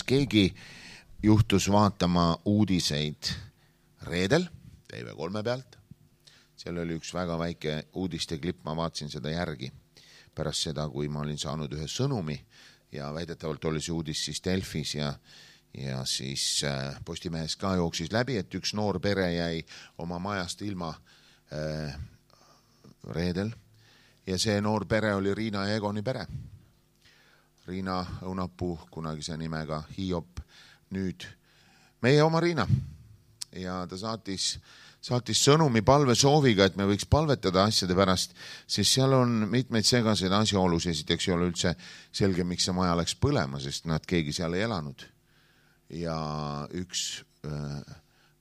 keegi juhtus vaatama uudiseid reedel TV3 pealt, seal oli üks väga väike uudiste klipp, ma vaatasin seda järgi pärast seda, kui ma olin saanud ühe sõnumi ja väidetavalt oli see uudis siis Delfis ja siis Postimehes ka jooksis läbi, et üks noor pere jäi oma majast ilma reedel ja see noor pere oli Riina ja Egoni pere. Riina Õunapuu, kunagise nimega Hiop, nüüd meie oma Riina ja ta saatis sõnumi palve sooviga, et me võiks palvetada asjade pärast, sest seal on mitmeid segaseid asjaolus. Esiteks ei ole üldse selge, miks see maja läks põlema, sest nad keegi seal ei elanud. Ja üks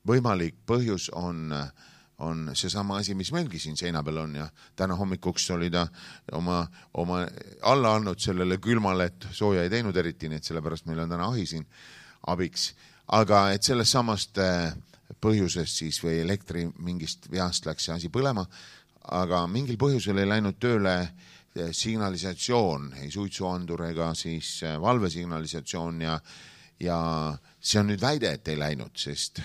võimalik põhjus on seesama asi, mis meilgi siin seina peal on ja täna hommikuks oli ta oma alla andnud sellele külmale, et sooja ei teinud eriti, nii et sellepärast meil on täna ahi siin abiks. Aga et sellest samast põhjusest siis või elektri mingist veast läks see asi põlema, aga mingil põhjusel ei läinud tööle signalisatsioon, ei suitsuandur ega siis valvesignalisatsioon ja see on nüüd väide, et ei läinud, sest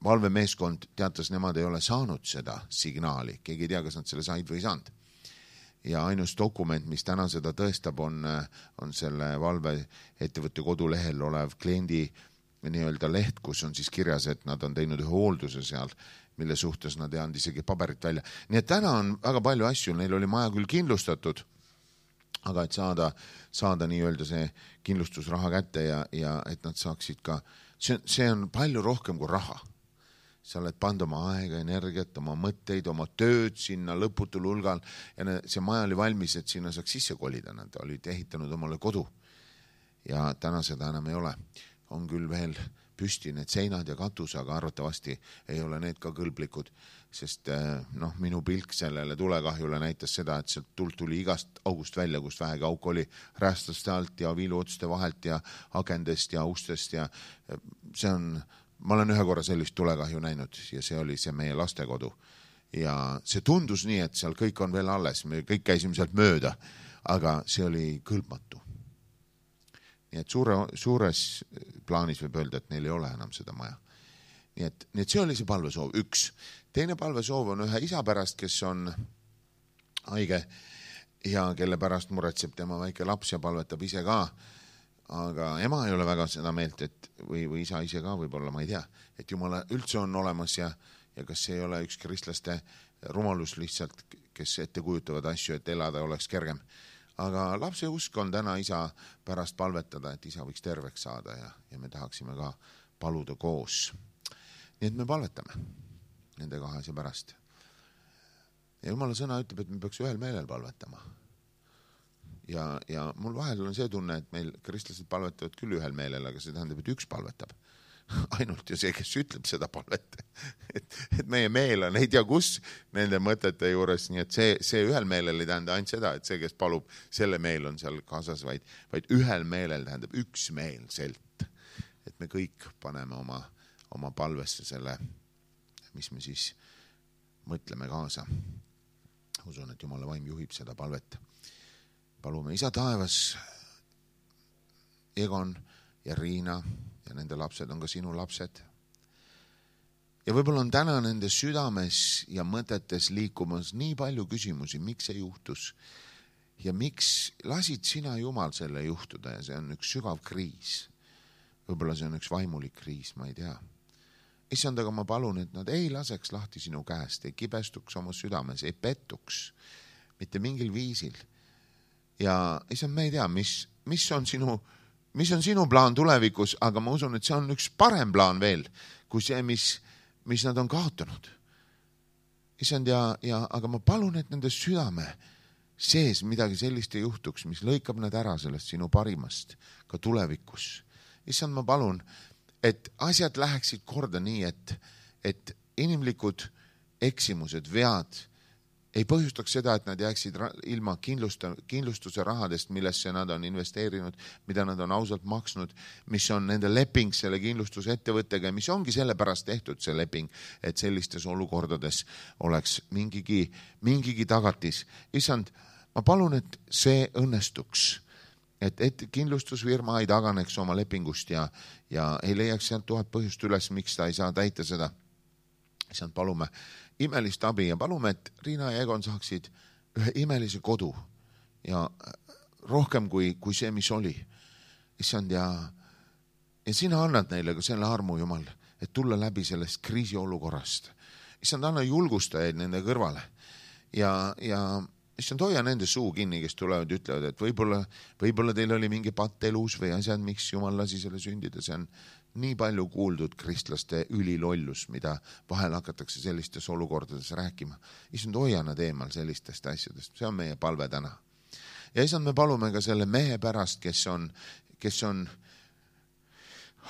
valvemeeskond teatas, nemad ei ole saanud seda signaali, keegi ei tea, kas nad selle said või ei saanud. Ja ainus dokument, mis täna seda tõestab, on selle valveettevõtte kodulehel olev kliendi nii-öelda leht, kus on siis kirjas, et nad on teinud ühe hoolduse seal, mille suhtes nad ei anda isegi paberit välja. Nii et täna on väga palju asju, neil oli maja küll kindlustatud, aga et saada nii-öelda see kindlustusraha kätte ja et nad saaksid ka, see on palju rohkem kui raha. Sa oled pannud oma aega, energiat, oma mõtteid, oma tööd sinna lõputul hulgal ja see maja oli valmis, et sinna saaks sisse kolida. Nad olid ehitanud omale kodu ja täna seda enam ei ole. On küll veel püsti need seinad ja katus, aga arvatavasti ei ole need ka kõlblikud, sest minu pilk sellele tulekahjule näitas seda, et sealt tuld tuli igast august välja, kust vähegi auk oli räästaste alt ja viiluotste vahelt ja akendest ja ustest ja ma olen ühe korra sellist tulekahju näinud ja see oli see meie lastekodu ja see tundus nii, et seal kõik on veel alles, me kõik käisime sealt mööda, aga see oli kõlbmatu. Nii et suures plaanis võib öelda, et neil ei ole enam seda maja. Nii et see oli see palvesoov, üks. Teine palvesoov on ühe isa pärast, kes on haige ja kelle pärast muretseb tema väike laps ja palvetab ise ka. Aga ema ei ole väga seda meelt, või isa ise ka võib-olla, ma ei tea, et Jumala üldse on olemas ja kas see ei ole üks kristlaste rumalus lihtsalt, kes ette kujutavad asju, et elada oleks kergem. Aga lapse usk on täna isa pärast palvetada, et isa võiks terveks saada ja me tahaksime ka paluda koos. Nii et me palvetame nende kahe asja pärast. Ja Jumala sõna ütleb, et me peaks ühel meelel palvetama. Ja mul vahel on see tunne, et meil kristlased palvetavad küll ühel meelel, aga see tähendab, et üks palvetab. Ainult ju see, kes ütleb seda palvet. Et meie meel on, ei tea kus nende mõtete juures, nii et see ühel meelel ei tähenda ainult seda, et see, kes palub, selle meel on seal kaasas, vaid ühel meelel tähendab üksmeelselt. Et me kõik paneme oma palvesse selle, mis me siis mõtleme kaasa. Usun, et Jumala vaim juhib seda palvet. Palume Isa taevas, Egon ja Riina ja nende lapsed on ka sinu lapsed. Ja võib-olla on täna nende südames ja mõtetes liikumas nii palju küsimusi, miks see juhtus ja miks lasid sina, Jumal, selle juhtuda ja see on üks sügav kriis. Võib-olla see on üks vaimulik kriis, ma ei tea. Issand, aga ma palun, et nad ei laseks lahti sinu käest, ei kibestuks oma südames, ei pettuks mitte mingil viisil. Ja issand, me ei tea, mis on sinu plaan tulevikus, aga ma usun, et see on üks parem plaan veel, kui see, mis nad on kaotanud. Issand, aga ma palun, et nende südame sees midagi sellist ei juhtuks, mis lõikab nad ära sellest sinu parimast ka tulevikus. Issand, ma palun, et asjad läheksid korda nii, et inimlikud eksimused, vead ei põhjustaks seda, et nad jääksid ilma kindlustuse rahadest, millesse nad on investeerinud, mida nad on ausalt maksnud, mis on nende leping selle kindlustuse ettevõttega, mis ongi sellepärast tehtud see leping, et sellistes olukordades oleks mingigi tagatis. Issand, ma palun, et see õnnestuks et kindlustusfirma ei taganeks oma lepingust ja ei leiaks sealt 1000 põhjust üles, miks ta ei saa täita seda. Issand, palume imelist abi ja palume, et Riina ja Egon saaksid ühe imelise kodu ja rohkem kui see, mis oli. Issand, ja sina annad neile ka selle armu, Jumal, et tulla läbi sellest kriisiolukorrast. Issand, anna julgustajaid nende kõrvale ja issand, hoia nende suu kinni, kes tulevad ja ütlevad, et võib-olla teil oli mingi patt elus või asjad, miks Jumal lasi selle sündida. See on nii palju kuuldud kristlaste ülilollus, mida vahel hakatakse sellistes olukordades rääkima. Issand, hoia nad eemal sellistest asjadest. See on meie palve täna. Ja issand, me palume ka selle mehe pärast, kes on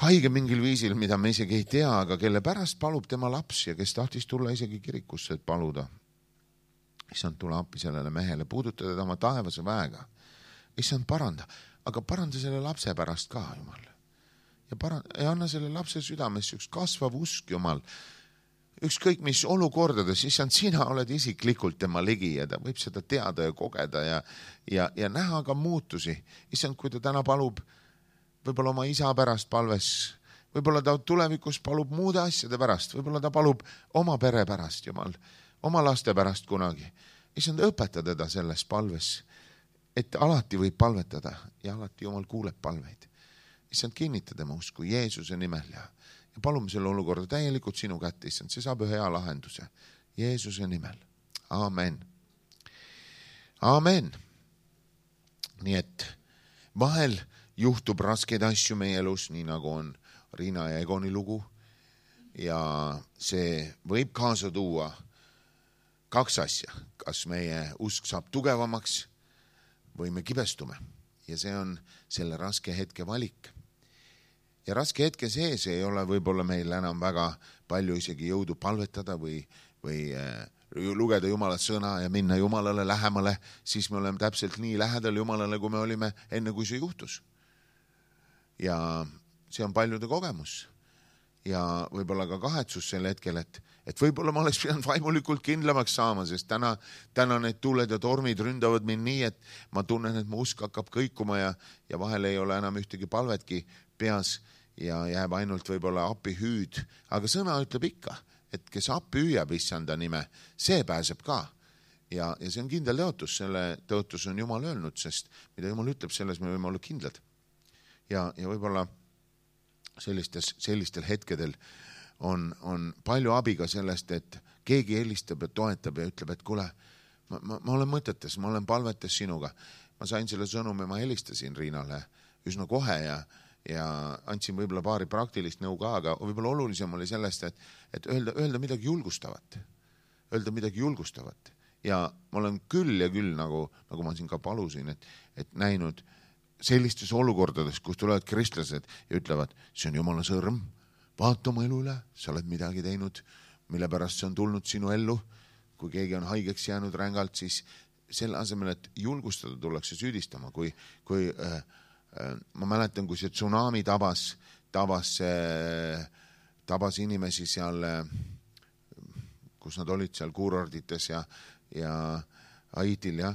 haige mingil viisil, mida me isegi ei tea, aga kelle pärast palub tema laps ja kes tahtis tulla isegi kirikusse, et paluda. Issand, tule appi sellele mehele, puuduta teda oma taevase väega. Issand, paranda, aga paranda selle lapse pärast ka, Jumal. Ja anna selle lapse südames üks kasvav usk, Jumal. Ükskõik mis olukordades, issand, sina oled isiklikult tema ligi ja ta võib seda teada ja kogeda ja näha ka muutusi. Issand, kui ta täna palub võib-olla oma isa pärast palves, võib-olla ta tulevikus palub muude asjade pärast, võib-olla ta palub oma pere pärast, Jumal, oma laste pärast kunagi. Issand, õpeta teda selles palves, et alati võib palvetada ja alati Jumal kuuleb palveid. Issand, kinnita tema usku Jeesuse nimel ja palume selle olukorda täielikult sinu kätte, issand, see saab ühe hea lahenduse. Jeesuse nimel. Aamen. Aamen. Nii et vahel juhtub raskeid asju meie elus, nii nagu on Riina ja Egoni lugu ja see võib kaasa tuua 2 asja. Kas meie usk saab tugevamaks või me kibestume ja see on selle raske hetke valik. Ja raske hetke sees ei ole võib-olla meil enam väga palju isegi jõudu palvetada või lugeda Jumala sõna ja minna Jumalale lähemale, siis me oleme täpselt nii lähedal Jumalale, kui me olime enne, kui see juhtus. Ja see on paljude kogemus ja võib-olla ka kahetsus sel hetkel, et võib-olla ma oleks pidanud vaimulikult kindlamaks saama, sest täna need tuuled ja tormid ründavad mind nii, et ma tunnen, et mu usk hakkab kõikuma ja vahel ei ole enam ühtegi palvetki peas ja jääb ainult võib-olla appi hüüd. Aga sõna ütleb ikka, et kes appi hüüab issanda nime, see pääseb ka. Ja see on kindel tõotus, selle tõotus on Jumal öelnud, sest mida Jumal ütleb, selles me võime olla kindlad. Ja võib-olla sellistel hetkedel on palju abi ka sellest, et keegi helistab ja toetab ja ütleb, et kuule, ma olen mõtetes, ma olen palvetes sinuga. Ma sain selle sõnumi, ma helistasin Riinale üsna kohe ja andsin võib-olla paari praktilist nõu ka, aga võib-olla olulisem oli sellest, et öelda midagi julgustavat. Öelda midagi julgustavat. Ja ma olen küll ja küll, nagu ma siin ka palusin, et näinud sellistes olukordades, kus tulevad kristlased ja ütlevad, see on Jumala sõrm, vaata oma elu üle, sa oled midagi teinud, mille pärast see on tulnud sinu ellu. Kui keegi on haigeks jäänud rängalt, siis selle asemel, et julgustada, tullakse süüdistama. Kui ma mäletan, kui see tsunami tabas inimesi seal, kus nad olid seal kuurordites ja Haitil ja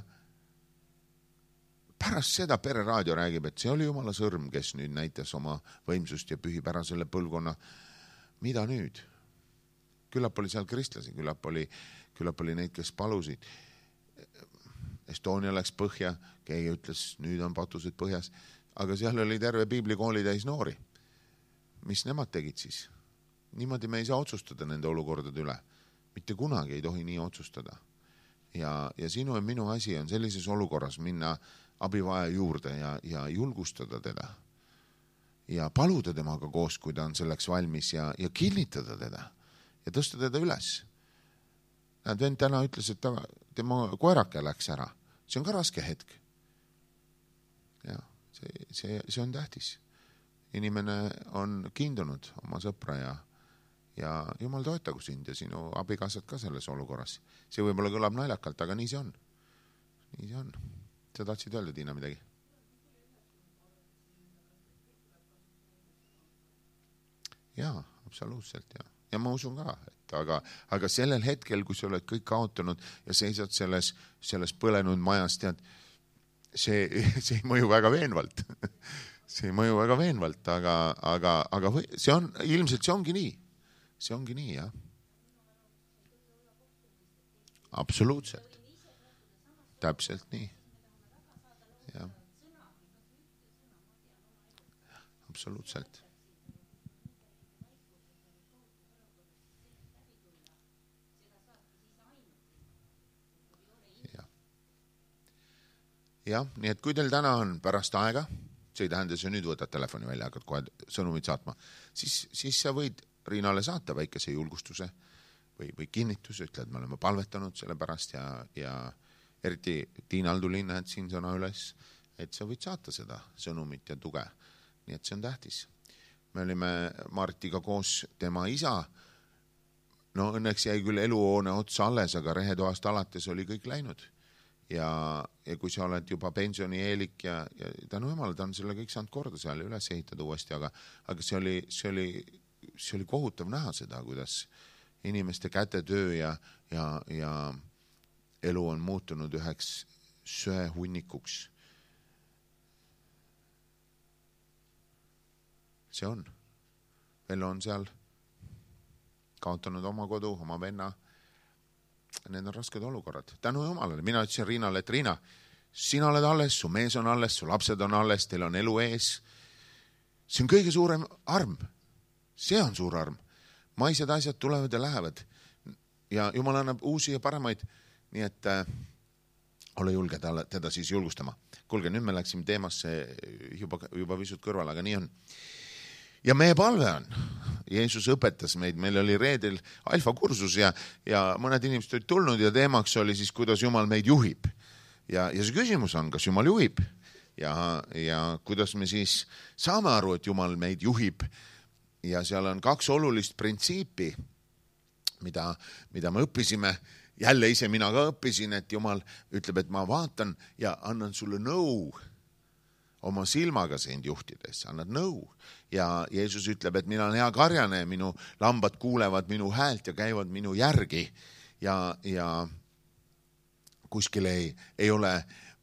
pärast seda Pereraadio räägib, et see oli Jumala sõrm, kes nüüd näitas oma võimsust ja pühib ära selle põlvkonna. Mida nüüd? Küllap oli seal kristlasi, küllap oli neid, kes palusid. Estonia läks põhja, keegi ütles, nüüd on patused põhjas, aga seal oli terve piiblikooli täis noori. Mis nemad tegid siis? Niimoodi me ei saa otsustada nende olukordade üle. Mitte kunagi ei tohi nii otsustada. Ja sinu ja minu asi on sellises olukorras minna abivaja juurde ja julgustada teda. Ja paluda temaga koos, kui ta on selleks valmis ja kinnitada teda ja tõsta teda üles. Näed, vend täna ütles, et tema koerake läks ära. See on ka raske hetk. Ja see on tähtis. Inimene on kiindunud oma sõpra ja Jumal toetagu sind ja sinu abikaasad ka selles olukorras. See võib-olla kõlab naljakalt, aga nii see on. Nii see on. Sa tahtsid öelda, Tiina, midagi? Jaa, absoluutselt, jah. Ja ma usun ka, aga sellel hetkel, kui sa oled kõik kaotanud ja seisad selles põlenud majas, tead, see ei mõju väga veenvalt. See ei mõju väga veenvalt, aga see on, ilmselt see ongi nii. See ongi nii, jah. Absoluutselt. Täpselt nii. Jah. Absoluutselt. Jah, nii et kui teil täna on pärast aega, see ei tähenda, sa nüüd võtad telefoni välja, hakkad kohe sõnumid saatma, siis sa võid Riinale saata väikese julgustuse või kinnituse, ütled, me oleme palvetanud selle pärast ja eriti Tiinal tuli näed siin sõna üles, et sa võid saata seda sõnumit ja tuge. Nii et see on tähtis. Me olime Martiga koos tema isa, no õnneks jäi küll eluhoone otsa alles, aga rehetoast alates oli kõik läinud. Ja kui sa oled juba pensionieelik ja tänu jumal, ta on selle kõik saanud korda seal ja üles ehitada uuesti, aga see oli kohutav näha seda, kuidas inimeste kätetöö ja elu on muutunud üheks söehunnikuks. See on. Vello on seal kaotanud oma kodu, oma venna. Need on rasked olukorrad. Tänu jumalale. Mina ütlesin Riinale, et Riina, sina oled alles, su mees on alles, su lapsed on alles, teil on elu ees. See on kõige suurem arm. See on suur arm. Maised asjad tulevad ja lähevad. Ja jumal annab uusi ja paremaid. Nii et ole julge teda siis julgustama. Kuulge, nüüd me läksime teemasse juba pisut kõrval, aga nii on. Ja meie palve on, Jeesus õpetas meid, meil oli reedel alfa kursus ja mõned inimesed olid tulnud ja teemaks oli siis, kuidas Jumal meid juhib. Ja see küsimus on, kas Jumal juhib ja kuidas me siis saame aru, et Jumal meid juhib. Ja seal on 2 olulist printsiipi, mida me õppisime. Jälle ise mina ka õppisin, et Jumal ütleb, et ma vaatan ja annan sulle nõu. Oma silmaga sind juhtides, annad nõu. Ja Jeesus ütleb, et mina olen hea karjane, minu lambad kuulevad minu häält ja käivad minu järgi. Ja kuskil ei ole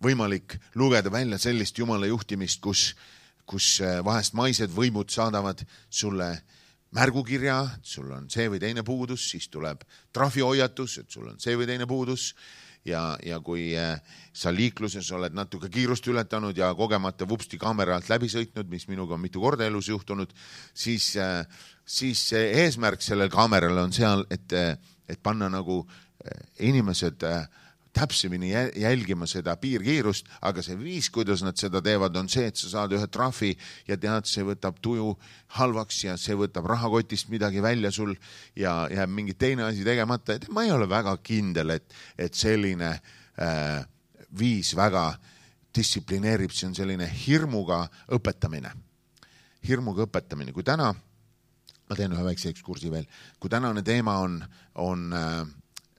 võimalik lugeda välja sellist Jumala juhtimist, kus vahest maised võimud saadavad sulle märgukirja, et sul on see või teine puudus, siis tuleb trahvihoiatus, et sul on see või teine puudus. Ja kui sa liikluses oled natuke kiirust ületanud ja kogemata vupsti kaamera alt läbi sõitnud, mis minuga on mitu korda elus juhtunud, siis eesmärk sellel kaameral on seal, et panna nagu inimesed täpsemini jälgima seda piirkiirust, aga see viis, kuidas nad seda teevad, on see, et sa saad ühe trahvi ja tead, see võtab tuju halvaks ja see võtab rahakotist midagi välja sul ja jääb mingi teine asi tegemata. Et ma ei ole väga kindel, et selline viis väga distsiplineerib, see on selline hirmuga õpetamine. Hirmuga õpetamine. Kui täna, ma teen ühe väikse ekskursi veel, kui tänane teema on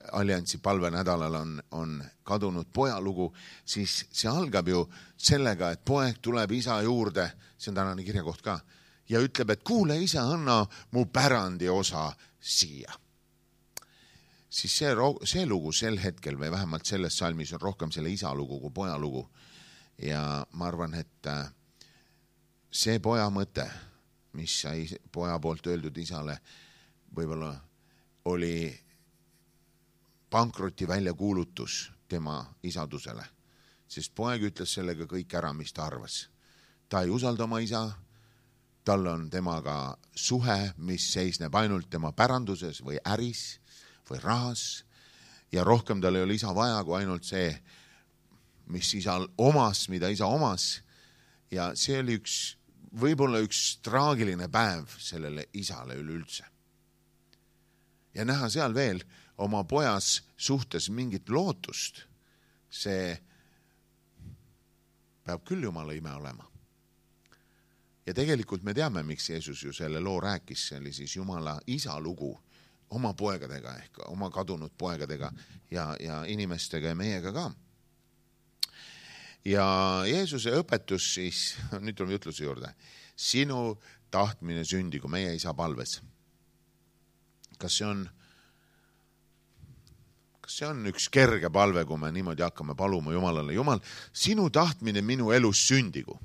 Alliansi palvenädalal on kadunud poja lugu, siis see algab ju sellega, et poeg tuleb isa juurde, see on tänane kirjakoht ka, ja ütleb, et kuule isa, anna mu pärandi osa siia. Siis see lugu sel hetkel või vähemalt selles salmis on rohkem selle isa lugu kui poja lugu. Ja ma arvan, et see poja mõte, mis sai poja poolt öeldud isale, võib-olla oli pankroti väljakuulutus tema isadusele, sest poeg ütles sellega kõik ära, mis ta arvas. Ta ei usalda oma isa, tal on temaga suhe, mis seisneb ainult tema päranduses või äris või rahas ja rohkem tal ei ole isa vaja kui ainult see, mis isal omas, mida isa omas. Ja see oli võib-olla üks traagiline päev sellele isale üleüldse. Ja näha seal veel oma pojas suhtes mingit lootust, see peab küll Jumala ime olema. Ja tegelikult me teame, miks Jeesus ju selle loo rääkis, see oli siis Jumala isa lugu oma poegadega ehk oma kadunud poegadega ja inimestega ja meiega ka. Ja Jeesuse õpetus siis, nüüd tuleme jutluse juurde, sinu tahtmine sündigu meie isa palves. Kas kas see on üks kerge palve, kui me niimoodi hakkame paluma Jumalale, Jumal, sinu tahtmine minu elus sündigu.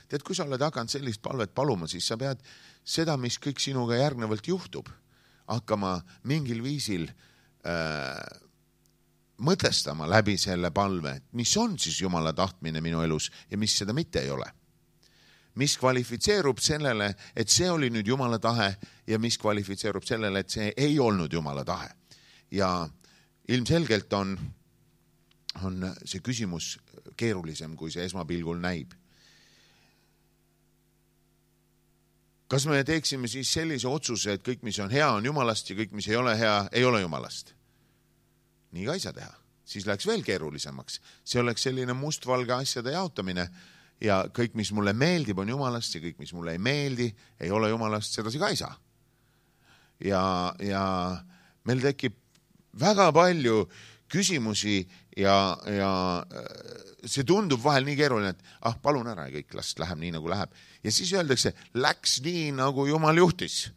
Tead, kui sa oled hakanud sellist palvet paluma, siis sa pead seda, mis kõik sinuga järgnevalt juhtub, hakkama mingil viisil mõtestama läbi selle palve, mis on siis Jumala tahtmine minu elus ja mis seda mitte ei ole. Mis kvalifitseerub sellele, et see oli nüüd Jumala tahe ja mis kvalifitseerub sellele, et see ei olnud Jumala tahe. Ja ilmselgelt on see küsimus keerulisem, kui see esmapilgul näib. Kas me teeksime siis sellise otsuse, et kõik, mis on hea, on Jumalast ja kõik, mis ei ole hea, ei ole Jumalast? Nii ka ei saa teha. Siis läks veel keerulisemaks. See oleks selline mustvalge asjade jaotamine ja kõik, mis mulle meeldib, on Jumalast ja kõik, mis mulle ei meeldi, ei ole Jumalast, sedasi ka ei saa. Ja meil tekib väga palju küsimusi ja see tundub vahel nii keeruline, et palun ära ja kõik läheb nii, nagu läheb. Ja siis öeldakse, läks nii, nagu Jumal juhtis.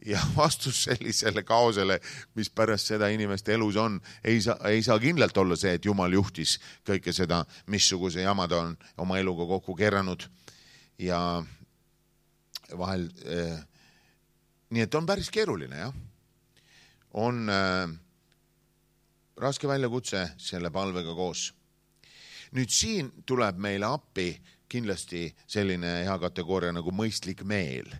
Ja vastus sellisele kaosele, mis pärast seda inimeste elus on, ei saa kindlalt olla see, et Jumal juhtis kõike seda, missuguse jamad on oma eluga kokku kerranud. Ja vahel, nii et on päris keeruline, jah. On raske väljakutse selle palvega koos. Nüüd siin tuleb meile appi kindlasti selline hea kategooria nagu mõistlik meel.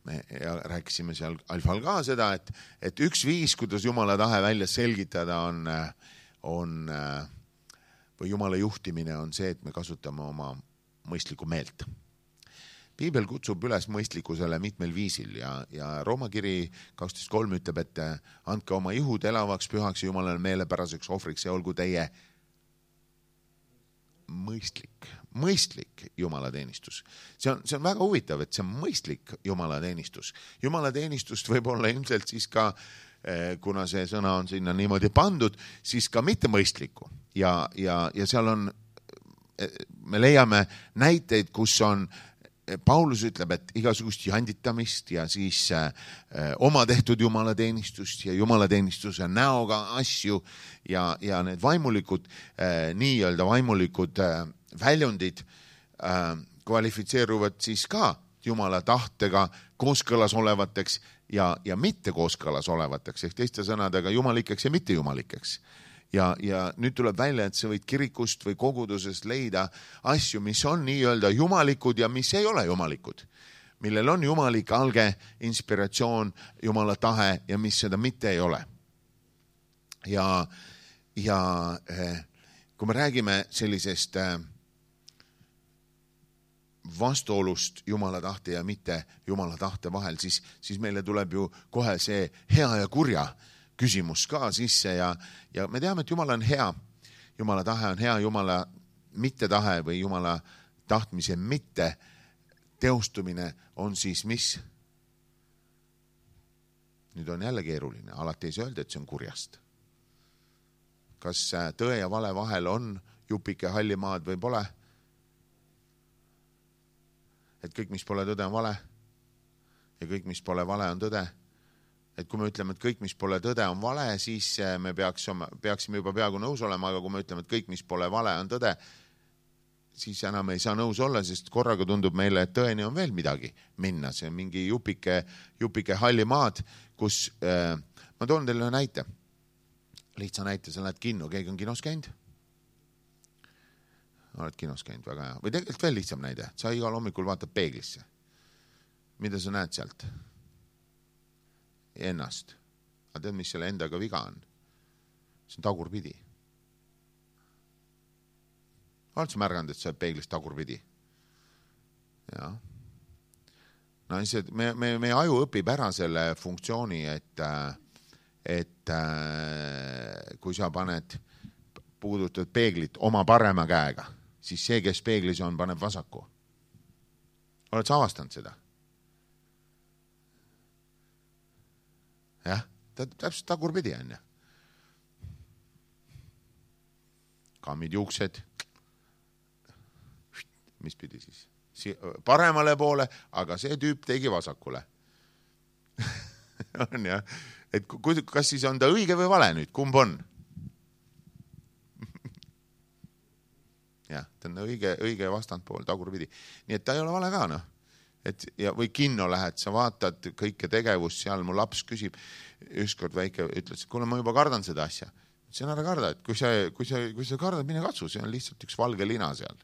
Me rääkisime seal alfal ka seda, et üks viis, kuidas Jumala tahe välja selgitada või Jumala juhtimine on see, et me kasutame oma mõistlikku meelt. Piibel kutsub üles mõistlikkusele mitmel viisil ja Rooma kiri 12.3 ütleb, et andke oma ihud elavaks, pühaks ja Jumalale meelepäraseks ohvriks ja olgu teie mõistlik jumalateenistus. See on väga huvitav, et see on mõistlik jumalateenistus. Jumalateenistust võib olla ilmselt siis ka, kuna see sõna on sinna niimoodi pandud, siis ka mitte mõistlikku. Ja seal on, me leiame näiteid, kus on, Paulus ütleb, et igasugust janditamist ja siis oma tehtud jumalateenistust ja jumalateenistuse näoga asju ja need vaimulikud, nii-öelda vaimulikud väljundid kvalifitseeruvad siis ka Jumala tahtega kooskõlas olevateks ja mitte kooskõlas olevateks, ehk teiste sõnadega jumalikeks ja mitte jumalikeks. Ja nüüd tuleb välja, et sa võid kirikust või kogudusest leida asju, mis on nii-öelda jumalikud ja mis ei ole jumalikud, millel on jumalik alge, inspiratsioon, Jumala tahe ja mis seda mitte ei ole. Ja kui me räägime sellisest vastuolust Jumala tahte ja mitte Jumala tahte vahel, siis meile tuleb ju kohe see hea ja kurja küsimus ka sisse ja me teame, et Jumal on hea. Jumala tahe on hea, Jumala mitte tahe või Jumala tahtmise mitte teostumine on siis mis? Nüüd on jälle keeruline, alati ei saa öelda, et see on kurjast. Kas tõe ja vale vahel on jupike hallimaad või pole? Et kõik, mis pole tõde, on vale ja kõik, mis pole vale, on tõde. Et kui me ütleme, et kõik, mis pole tõde, on vale, siis me peaksime juba peaaegu nõus olema, aga kui me ütleme, et kõik, mis pole vale, on tõde, siis enam ei saa nõus olla, sest korraga tundub meile, et tõeni on veel midagi minna. See on mingi jupike halli maad, kus ma toon teile näite. Lihtsa näite, sa lähed kinno, keegi on kinos käinud? Oled kinos käinud, väga hea. Või tegelikult veel lihtsam näide, sa igal hommikul vaatad peeglisse. Mida sa näed sealt? Ennast. Aga tead, mis selle endaga viga on? See on tagurpidi. Oled sa märganud, et sa oled peeglist tagurpidi? Ja. No, meie aju õpib ära selle funktsiooni, et kui sa puudutad peeglit oma parema käega, siis see, kes peeglis on, paneb vasaku. Oled sa avastanud seda? Jah, täpselt tagurpidi on. Kammid juuksed. Mis pidi siis? Paremale poole, aga see tüüp tegi vasakule. On jah. Et kas siis on ta õige või vale nüüd? Kumb on? jah, ta on õige vastandpool, tagurpidi. Nii et ta ei ole vale ka, noh. Või kinno lähed, sa vaatad kõike tegevust seal, mu laps küsib, ükskord väike ütles, et kuule, ma juba kardan seda asja. See on ära karda, et kui sa kardad, mine katsu, see on lihtsalt üks valge lina seal.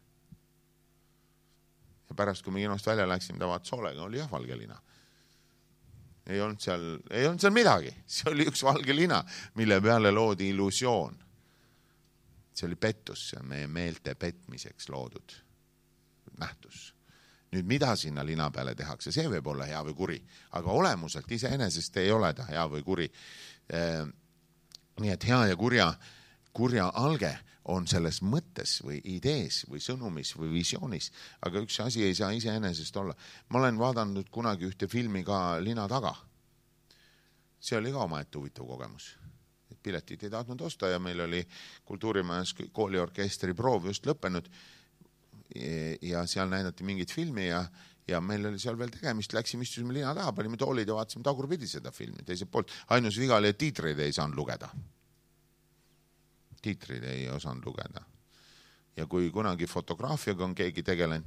Ja pärast, kui me kinost välja läksime, ta vaatas hoolega, oli jah valge lina. Ei olnud seal midagi. See oli üks valge lina, mille peale loodi illusioon. See oli pettus, see on meie meelte petmiseks loodud nähtus. Nüüd, mida sinna lina peale tehakse, see võib olla hea või kuri, aga olemuselt iseenesest ei ole ta hea või kuri. Nii et hea ja kurja alge on selles mõttes või idees või sõnumis või visioonis, aga üks asi ei saa iseenesest olla. Ma olen vaadanud kunagi ühte filmi ka Lina taga. See oli ka omaette huvitav kogemus. Piletit ei tahtnud osta ja meil oli kultuurimajas kooliorkestri proov just lõppenud ja seal näidati mingit filmi ja meil oli seal veel tegemist, läksime istusime lina taha, panime toolid ja vaatasime tagurpidi seda filmi teiselt poolt. Ainus viga oli, et tiitreid ei saanud lugeda. Tiitreid ei osanud lugeda. Ja kui kunagi fotograafiaga on keegi tegelenud,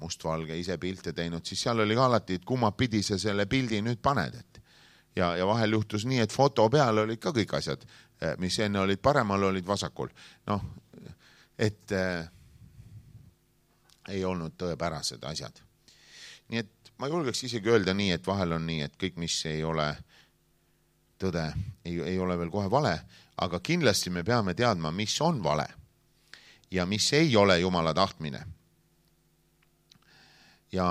mustvalge ise pilte teinud, siis seal oli ka alati, et kummapidi sa selle pildi nüüd paned. Ja vahel juhtus nii, et foto peal olid ka kõik asjad, mis enne olid paremal, olid vasakul. Noh, et ei olnud tõepärased asjad. Nii et ma julgeks isegi öelda nii, et vahel on nii, et kõik, mis ei ole tõde, ei ole veel kohe vale, aga kindlasti me peame teadma, mis on vale ja mis ei ole Jumala tahtmine. Ja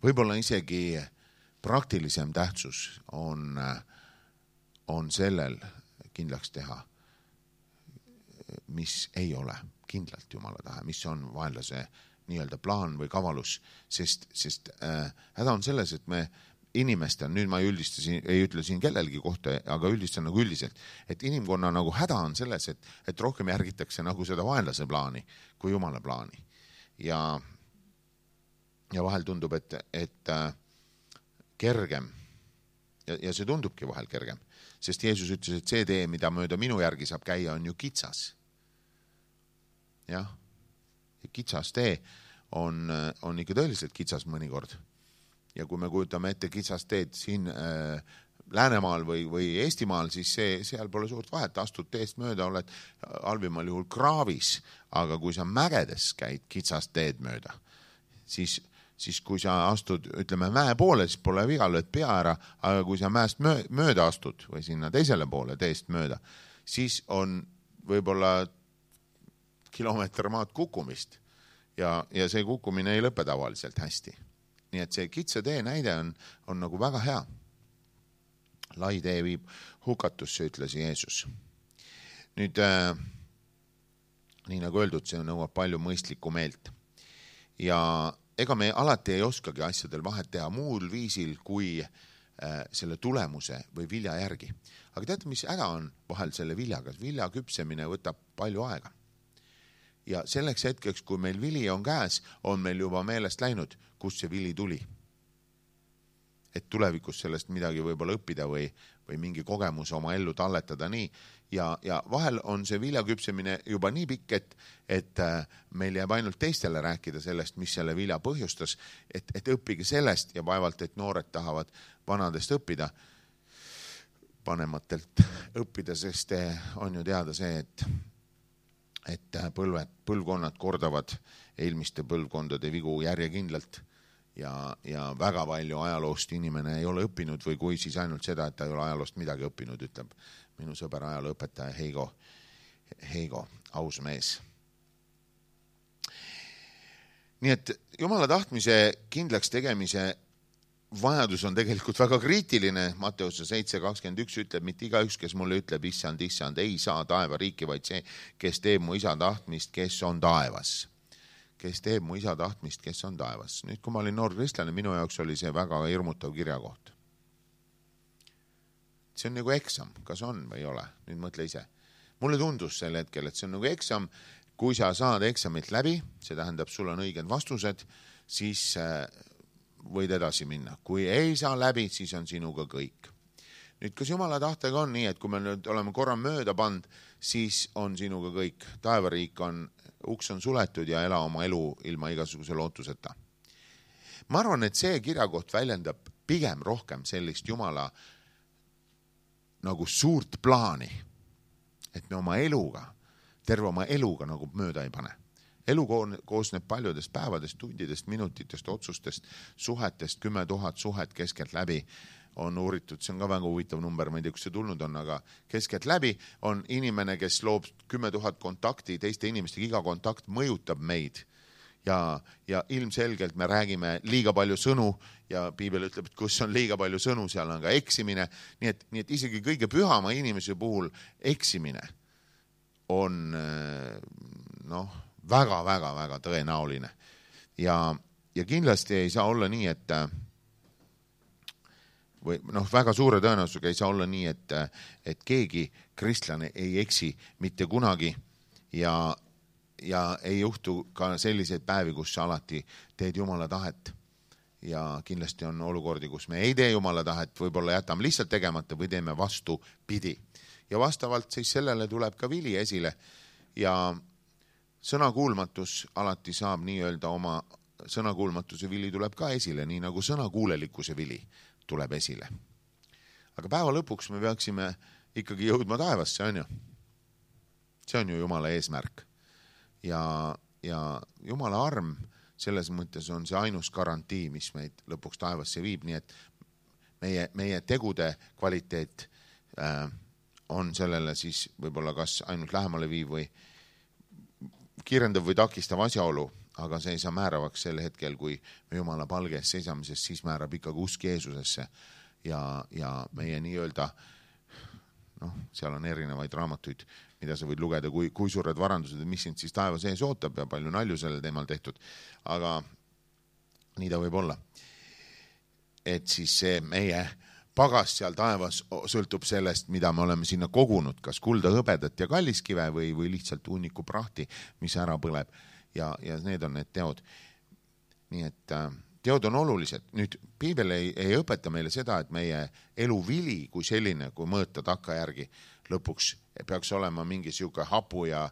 võib-olla isegi praktilisem tähtsus on sellel kindlaks teha, mis ei ole kindlalt Jumala tahe, mis on vaenlase nii-öelda plaan või kavalus, sest häda on selles, et me inimestel, nüüd ma ei ütle siin kellelgi kohta, aga üldistan nagu üldiselt, et inimkonna nagu häda on selles, et rohkem järgitakse nagu seda vaenlase plaani kui Jumala plaani. Ja vahel tundub, et kergem, ja see tundubki vahel kergem, sest Jeesus ütles, et see tee, mida mööda minu järgi saab käia, on ju kitsas. Jah, kitsas tee on ikka tõeliselt kitsas mõnikord. Ja kui me kujutame ette kitsas teed siin Läänemaal või Eestimaal, siis seal pole suurt vahet, astud teest mööda, oled halvimal juhul kraavis, aga kui sa mägedes käid kitsast teed mööda, siis kui sa astud, ütleme, mäe poole, siis pole viga, lööd pea ära, aga kui sa mäest mööda astud või sinna teisele poole teest mööda, siis on võib-olla kilomeeter maad kukkumist ja see kukkumine ei lõpe tavaliselt hästi. Nii et see kitsa tee näide on nagu väga hea. Lai tee viib hukatusse, ütles Jeesus. Nüüd, nii nagu öeldud, see nõuab palju mõistlikku meelt. Ja ega me alati ei oskagi asjadel vahet teha muul viisil kui selle tulemuse või vilja järgi. Aga teate, mis häda on vahel selle viljaga? Vilja küpsemine võtab palju aega. Ja selleks hetkeks, kui meil vili on käes, on meil juba meelest läinud, kus see vili tuli. Et tulevikus sellest midagi võib-olla õppida või mingi kogemus oma ellu talletada nii. Ja vahel on see vilja küpsemine juba nii pikk, et meil jääb ainult teistele rääkida sellest, mis selle vilja põhjustas, et õppige sellest ja vaevalt, et noored tahavad vanadest õppida, vanematelt õppida, sest on ju teada see, et põlvkonnad kordavad eelmiste põlvkondade vigu järjekindlalt ja väga palju ajaloost inimene ei ole õppinud või kui siis ainult seda, et ta ei ole ajaloost midagi õppinud, ütleb minu sõber ajalooõpetaja Heigo, aus mees. Nii et Jumala tahtmise kindlaks tegemise vajadus on tegelikult väga kriitiline. Matteuse 7:21 ütleb, mitte igaüks, kes mulle ütleb, issand, ei saa taeva riiki, vaid see, kes teeb mu isa tahtmist, kes on taevas. Kes teeb mu isa tahtmist, kes on taevas. Nüüd, kui ma olin noor kristlane, minu jaoks oli see väga hirmutav kirjakoht. See on nagu eksam, kas on või ei ole? Nüüd mõtle ise. Mulle tundus sel hetkel, et see on nagu eksam. Kui sa saad eksamit läbi, see tähendab, sul on õiged vastused, siis võid edasi minna. Kui ei saa läbi, siis on sinuga kõik. Nüüd, kas Jumala tahtega on nii, et kui me nüüd oleme korra mööda pand, siis on sinuga kõik. Taevariik uks on suletud ja ela oma elu ilma igasuguse lootuseta. Ma arvan, et see kirjakoht väljendab pigem rohkem sellist Jumala nagu suurt plaani, et me oma eluga, terve oma eluga nagu mööda ei pane. Elu koosneb paljudest päevadest, tundidest, minutitest, otsustest, suhetest, 10 000 suhet keskelt läbi on uuritud, see on ka väga huvitav number, ma ei tea, kus see tulnud on, aga keskelt läbi on inimene, kes loob 10 000 kontakti teiste inimestega, iga kontakt mõjutab meid ja ilmselgelt me räägime liiga palju sõnu ja Piibel ütleb, et kus on liiga palju sõnu, seal on ka eksimine, nii et isegi kõige pühama inimese puhul eksimine on väga tõenäoline ja kindlasti ei saa olla nii, et või väga suure tõenäosusega ei saa olla nii, et keegi kristlane ei eksi mitte kunagi ja ei juhtu ka selliseid päevi, kus sa alati teed Jumala tahet ja kindlasti on olukordi, kus me ei tee Jumala tahet, võib-olla jätame lihtsalt tegemata või teeme vastupidi ja vastavalt siis sellele tuleb ka vili esile ja sõnakuulmatus alati saab nii-öelda oma sõnakuulmatuse vili tuleb ka esile, nii nagu sõnakuulelikkuse vili tuleb esile. Aga päeva lõpuks me peaksime ikkagi jõudma taevasse, on ju? See on ju Jumala eesmärk. Ja Jumala arm selles mõttes on see ainus garantii, mis meid lõpuks taevasse viib, nii et meie tegude kvaliteet on sellele siis võib-olla kas ainult lähemale viiv või kiirendav või takistav asjaolu, aga see ei saa määravaks sel hetkel, kui me Jumala palges seisamises, siis määrab ikkagi usk Jeesusesse ja meie nii-öelda, seal on erinevaid raamatuid, mida sa võid lugeda, kui suured varandused, mis sind siis taeva sees ootab ja palju nalju sellel teemal tehtud, aga nii ta võib olla. Et siis see meie pagas seal taevas sõltub sellest, mida me oleme sinna kogunud, kas kulda, hõbedat ja kalliskive või lihtsalt hunniku prahti, mis ära põleb ja need on need teod. Nii et teod on olulised. Nüüd Piibel ei õpeta meile seda, et meie elu vili kui selline, kui mõõta takkajärgi lõpuks peaks olema mingi siuke hapu ja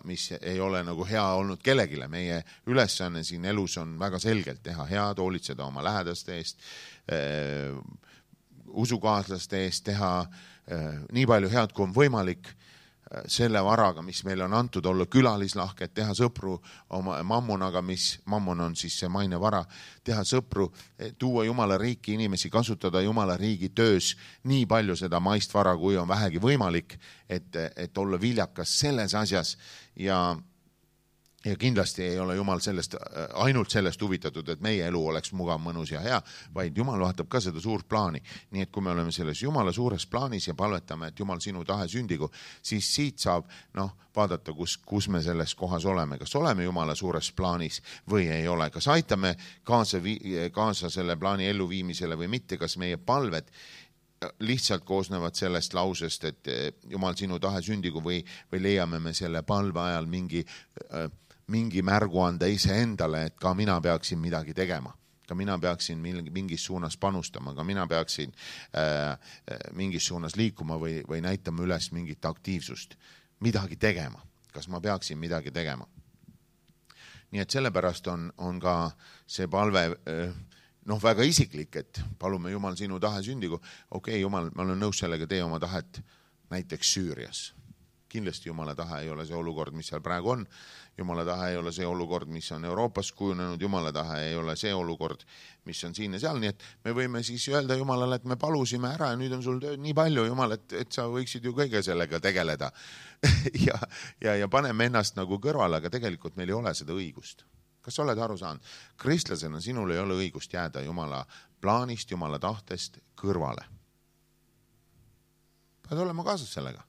mis ei ole nagu hea olnud kellegile. Meie ülesanne siin elus on väga selgelt teha head, hoolitseda oma lähedaste eest, usukaaslaste eest, teha nii palju head, kui on võimalik selle varaga, mis meile on antud, olla külalislahked, teha sõpru oma mammonaga, mis mammon on siis see maine vara, teha sõpru, tuua Jumala riiki inimesi, kasutada Jumala riigi töös nii palju seda maist vara, kui on vähegi võimalik, et olla viljakas selles asjas ja kindlasti ei ole Jumal ainult sellest huvitatud, et meie elu oleks mugav, mõnus ja hea, vaid Jumal vaatab ka seda suurt plaani. Nii et kui me oleme selles Jumala suures plaanis ja palvetame, et Jumal sinu tahe sündigu, siis siit saab vaadata, kus me selles kohas oleme. Kas oleme Jumala suures plaanis või ei ole? Kas aitame kaasa selle plaani elluviimisele või mitte? Kas meie palved lihtsalt koosnevad sellest lausest, et Jumal sinu tahe sündigu või leiame me selle palve ajal mingi märgu anda iseendale, et ka mina peaksin midagi tegema. Ka mina peaksin mingis suunas panustama, ka mina peaksin mingis suunas liikuma või näitama üles mingit aktiivsust. Midagi tegema. Kas ma peaksin midagi tegema? Nii et sellepärast on ka see palve väga isiklik, et palume Jumal sinu tahe sündigu. Okei, Jumal, ma olen nõus sellega, tee oma tahet näiteks Süürias. Kindlasti Jumala tahe ei ole see olukord, mis seal praegu on. Jumala tahe ei ole see olukord, mis on Euroopas kujunenud. Jumala tahe ei ole see olukord, mis on siin ja seal. Nii et me võime siis öelda Jumalale, et me palusime ära ja nüüd on sul tööd nii palju, Jumal, et sa võiksid ju kõige sellega tegeleda. ja paneme ennast nagu kõrvale, aga tegelikult meil ei ole seda õigust. Kas sa oled aru saanud? Kristlasena sinul ei ole õigust jääda Jumala plaanist, Jumala tahtest kõrvale. Pead olema kaasas sellega.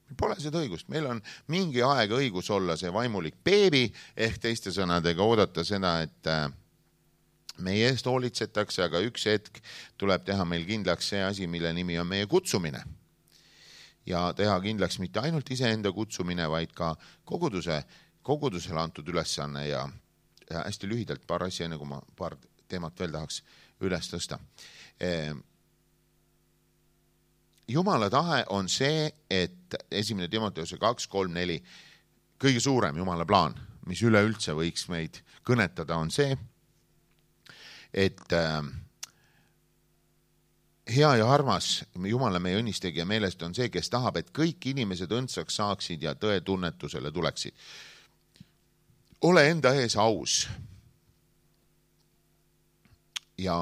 Meil pole seda õigust. Meil on mingi aeg õigus olla see vaimulik beebi, ehk teiste sõnadega oodata seda, et meie eest hoolitsetakse, aga üks hetk tuleb teha meil kindlaks see asi, mille nimi on meie kutsumine. Ja teha kindlaks mitte ainult iseenda kutsumine, vaid ka kogudusele antud ülesanne ja hästi lühidalt paar asja, enne kui ma paar teemat veel tahaks üles tõsta. Jumala tahe on see, et 1. Timoteuse 2:3-4 kõige suurem Jumala plaan, mis üleüldse võiks meid kõnetada, on see, et hea ja armas Jumala meie õnnistegija meelest on see, kes tahab, et kõik inimesed õndsaks saaksid ja tõe tunnetusele tuleksid. Ole enda ees aus ja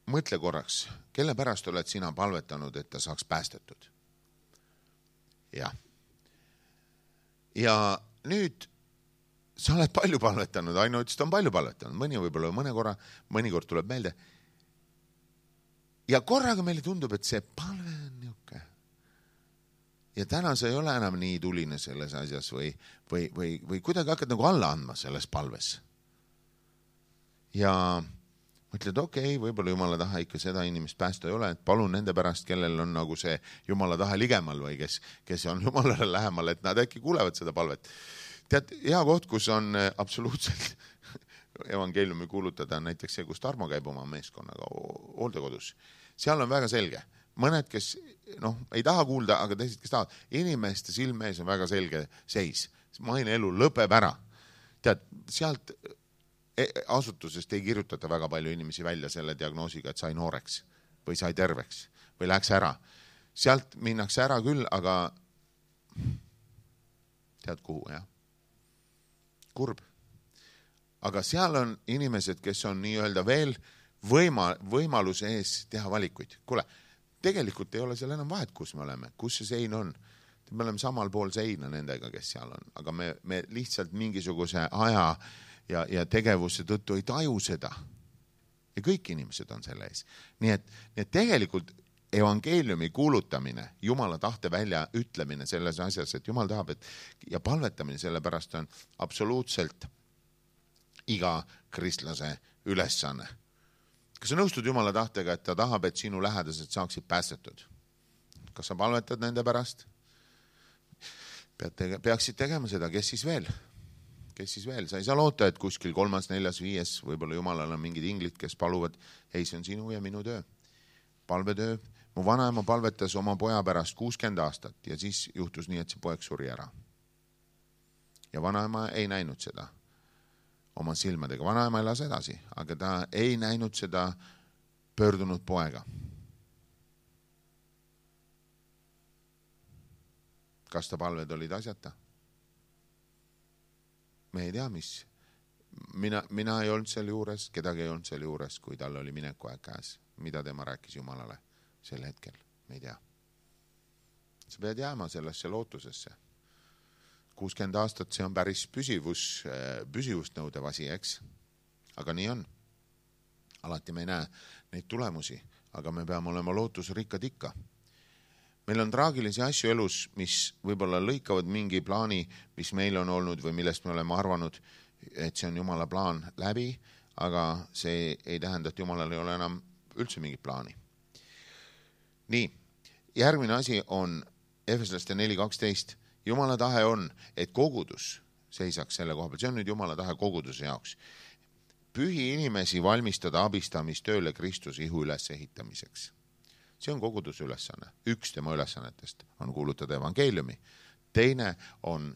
mõtle korraks, kelle pärast oled sina palvetanud, et ta saaks päästetud? Ja nüüd sa oled palju palvetanud, Aino ütles, ta on palju palvetanud, mõni võib-olla mõnikord tuleb meelde. Ja korraga meile tundub, et see palve on niuke. Ja täna sa ei ole enam nii tuline selles asjas või kuidagi hakkad nagu alla andma selles palves. Ja mõtled, okei, võib-olla Jumala taha ikka seda inimest päästa ei ole, et palun nende pärast, kellel on nagu see Jumala taha ligemal või kes on Jumalale lähemal, et nad äkki kuulevad seda palvet. Tead, hea koht, kus on absoluutselt evangeeliumi kuulutada, näiteks see, kus Tarmo käib oma meeskonnaga hooldekodus. Seal on väga selge. Mõned, kes ei taha kuulda, aga teised, kes tahavad. Inimeste silme ees on väga selge seis. Maine elu lõpeb ära. Tead, sealt asutusest ei kirjutata väga palju inimesi välja selle diagnoosiga, et sai nooreks või sai terveks või läks ära. Sealt minnakse ära küll, aga tead kuhu, jah? Kurb. Aga seal on inimesed, kes on nii-öelda veel võimaluse ees teha valikuid. Kuule, tegelikult ei ole seal enam vahet, kus me oleme, kus see sein on. Me oleme samal pool seina nendega, kes seal on, aga me lihtsalt mingisuguse aja ja tegevuse tõttu ei taju seda. Ja kõik inimesed on selle ees. Nii et tegelikult evangeeliumi kuulutamine, Jumala tahte välja ütlemine selles asjas, et Jumal tahab, ja palvetamine selle pärast on absoluutselt iga kristlase ülesanne. Kas sa nõustud Jumala tahtega, et ta tahab, et sinu lähedased saaksid päästetud? Kas sa palvetad nende pärast? Peaksid tegema seda, kes siis veel? Sa ei saa loota, et kuskil 3., 4., 5, võib-olla Jumalal on mingid inglid, kes paluvad, ei, see on sinu ja minu töö. Palvetöö. Mu vanaema palvetas oma poja pärast 60 aastat ja siis juhtus nii, et see poeg suri ära. Ja vanaema ei näinud seda oma silmadega. Vanaema elas edasi, aga ta ei näinud seda pöördunud poega. Kas ta palved olid asjata? Me ei tea, mis. Mina ei olnud seal juures, kedagi ei olnud seal juures, kui tal oli mineku aeg käes. Mida tema rääkis Jumalale sel hetkel? Me ei tea. Sa pead jääma sellesse lootusesse. 60 aastat, see on päris püsivust nõudev asi, eks? Aga nii on. Alati me ei näe neid tulemusi, aga me peame olema lootusrikkad ikka. Meil on traagilisi asju elus, mis võib-olla lõikavad mingi plaani, mis meil on olnud või millest me oleme arvanud, et see on Jumala plaan läbi, aga see ei tähenda, et Jumalal ei ole enam üldse mingit plaani. Nii, järgmine asi on Efeslaste 4:12. Jumala tahe on, et kogudus seisaks selle koha peal. See on nüüd Jumala tahe koguduse jaoks. Pühi inimesi valmistada abistamistööle Kristuse ihu ülesehitamiseks. See on koguduse ülesanne. Üks tema ülesannetest on kuulutada evangeeliumi. Teine on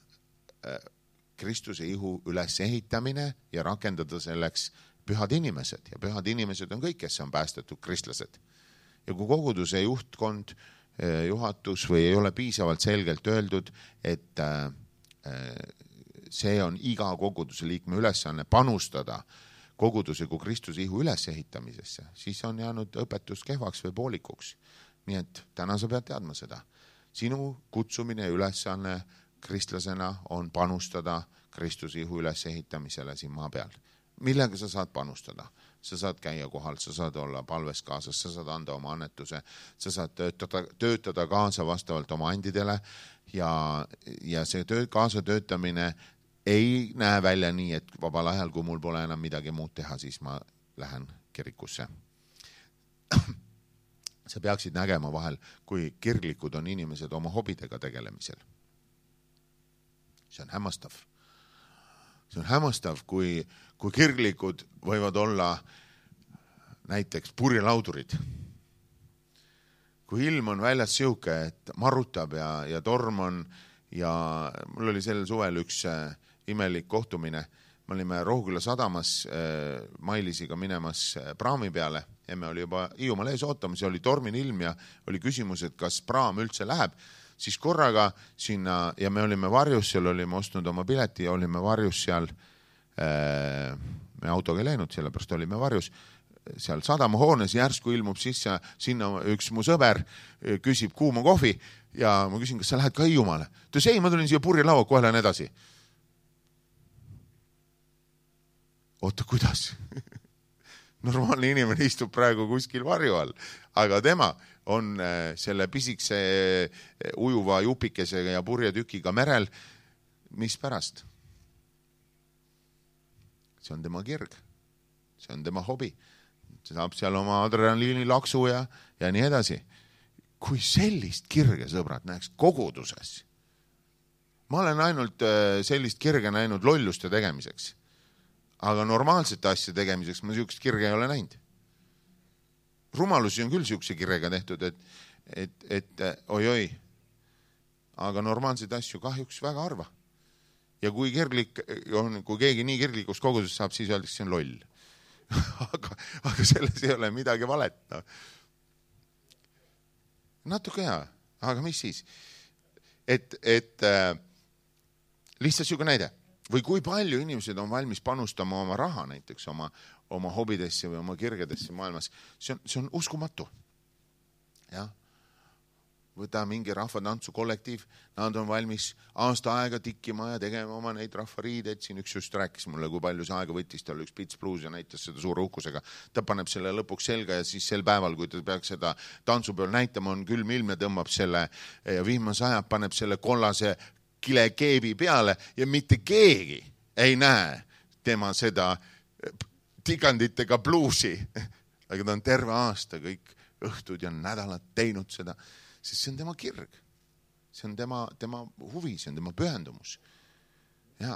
Kristuse ihu ülesehitamine ja rakendada selleks pühad inimesed. Ja pühad inimesed on kõik, kes on päästetud kristlased. Ja kui koguduse juhtkond, juhatus või ei ole piisavalt selgelt öeldud, et see on iga koguduse liikme ülesanne panustada koguduse kui Kristuse ihu ülesehitamisesse, siis on jäänud õpetus kehvaks või poolikuks. Nii et täna sa pead teadma seda. Sinu kutsumine ja ülesanne kristlasena on panustada Kristuse ihu ülesehitamisele siin maa peal. Millega sa saad panustada? Sa saad käia kohal, sa saad olla palves kaasas, sa saad anda oma annetuse, sa saad töötada kaasa vastavalt oma andidele ja see kaasa töötamine ei näe välja nii, et vabal ajal, kui mul pole enam midagi muud teha, siis ma lähen kirikusse. Sa peaksid nägema vahel, kui kirglikud on inimesed oma hobidega tegelemisel. See on hämmastav. See on hämmastav, kui kirglikud võivad olla näiteks purjelaudurid. kui ilm on väljas siuke, et marutab ja torm on ja mul oli sel suvel üks imelik kohtumine. Me olime Rohuküla sadamas Mailisiga minemas praami peale. Emme oli juba Hiiumaal ees ootamas ja oli tormine ilm ja oli küsimus, et kas praam üldse läheb. Siis korraga sinna ja me olime varjus, seal olime ostnud oma pileti ja olime varjus seal. Me autoga ei läinud, sellepärast olime varjus. Seal sadamahoones järsku ilmub sisse sinna üks mu sõber, küsib kuuma kohvi ja ma küsin, kas sa lähed ka Hiiumaale? Ta ütles, ei, ma tulin siia purjelaua, kohe lähen edasi. Oota, kuidas? Normaalne inimene istub praegu kuskil varju all, aga tema on selle pisikse ujuva jupikesega ja purjetükiga merel. Mis pärast? See on tema kirg. See on tema hobi. See saab seal oma adrenaliini laksu ja nii edasi. Kui sellist kirge, sõbrad, näeks koguduses. Ma olen ainult sellist kirge näinud lolluste tegemiseks. Aga normaalsete asja tegemiseks ma siukest kirge ei ole näinud. Rumalusi on küll siukse kirega tehtud, et oi. Aga normaalseid asju kahjuks väga harva. Ja kui kirglik on, kui keegi nii kirglikus koguduses saab, siis öeldakse, see on loll. aga selles ei ole midagi valet. No. Natuke hea, aga mis siis? Lihtsalt siuke näide. Või kui palju inimesed on valmis panustama oma raha näiteks oma hobidesse või oma kirgedesse maailmas. See on uskumatu. Ja? Võta mingi rahvatantsu kollektiiv, nad on valmis aasta aega tikkima ja tegema oma neid rahvariideid. Siin üks just rääkis mulle, kui palju see aega võttis, tal üks Pits Blues ja näitas seda suure uhkusega. Ta paneb selle lõpuks selga ja siis sel päeval, kui ta peaks seda tantsupeol näitama, on külm ilm ja tõmbab selle ja viimase ajab, paneb selle kollase kilekeebi peale ja mitte keegi ei näe tema seda tiganditega bluusi. Aga ta on terve aasta kõik õhtud ja nädalad teinud seda, sest see on tema kirg. See on tema huvi, see on tema pühendumus. Ja,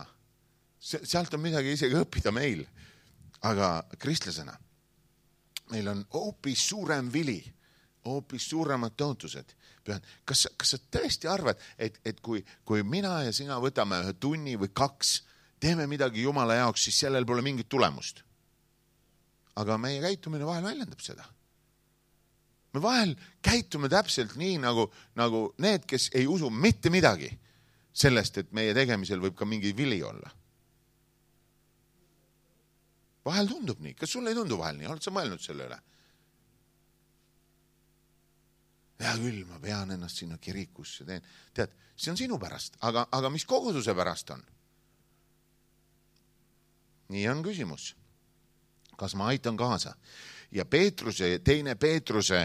sealt on midagi isegi õppida meil. Aga kristlasena meil on hoopis suurem vili, hoopis suuremad tõotused. Kas sa tõesti arvad, et kui mina ja sina võtame ühe tunni või 2, teeme midagi Jumala jaoks, siis sellel pole mingit tulemust. Aga meie käitumine vahel väljendab seda. Me vahel käitume täpselt nii nagu need, kes ei usu mitte midagi sellest, et meie tegemisel võib ka mingi vili olla. Vahel tundub nii. Kas sulle ei tundu vahel nii? Oled sa mõelnud selle üle? Ja küll, ma pean ennast sinna kirikusse teen. Tead, see on sinu pärast, aga mis koguduse pärast on? Nii on küsimus. Kas ma aitan kaasa? Ja teine Peetruse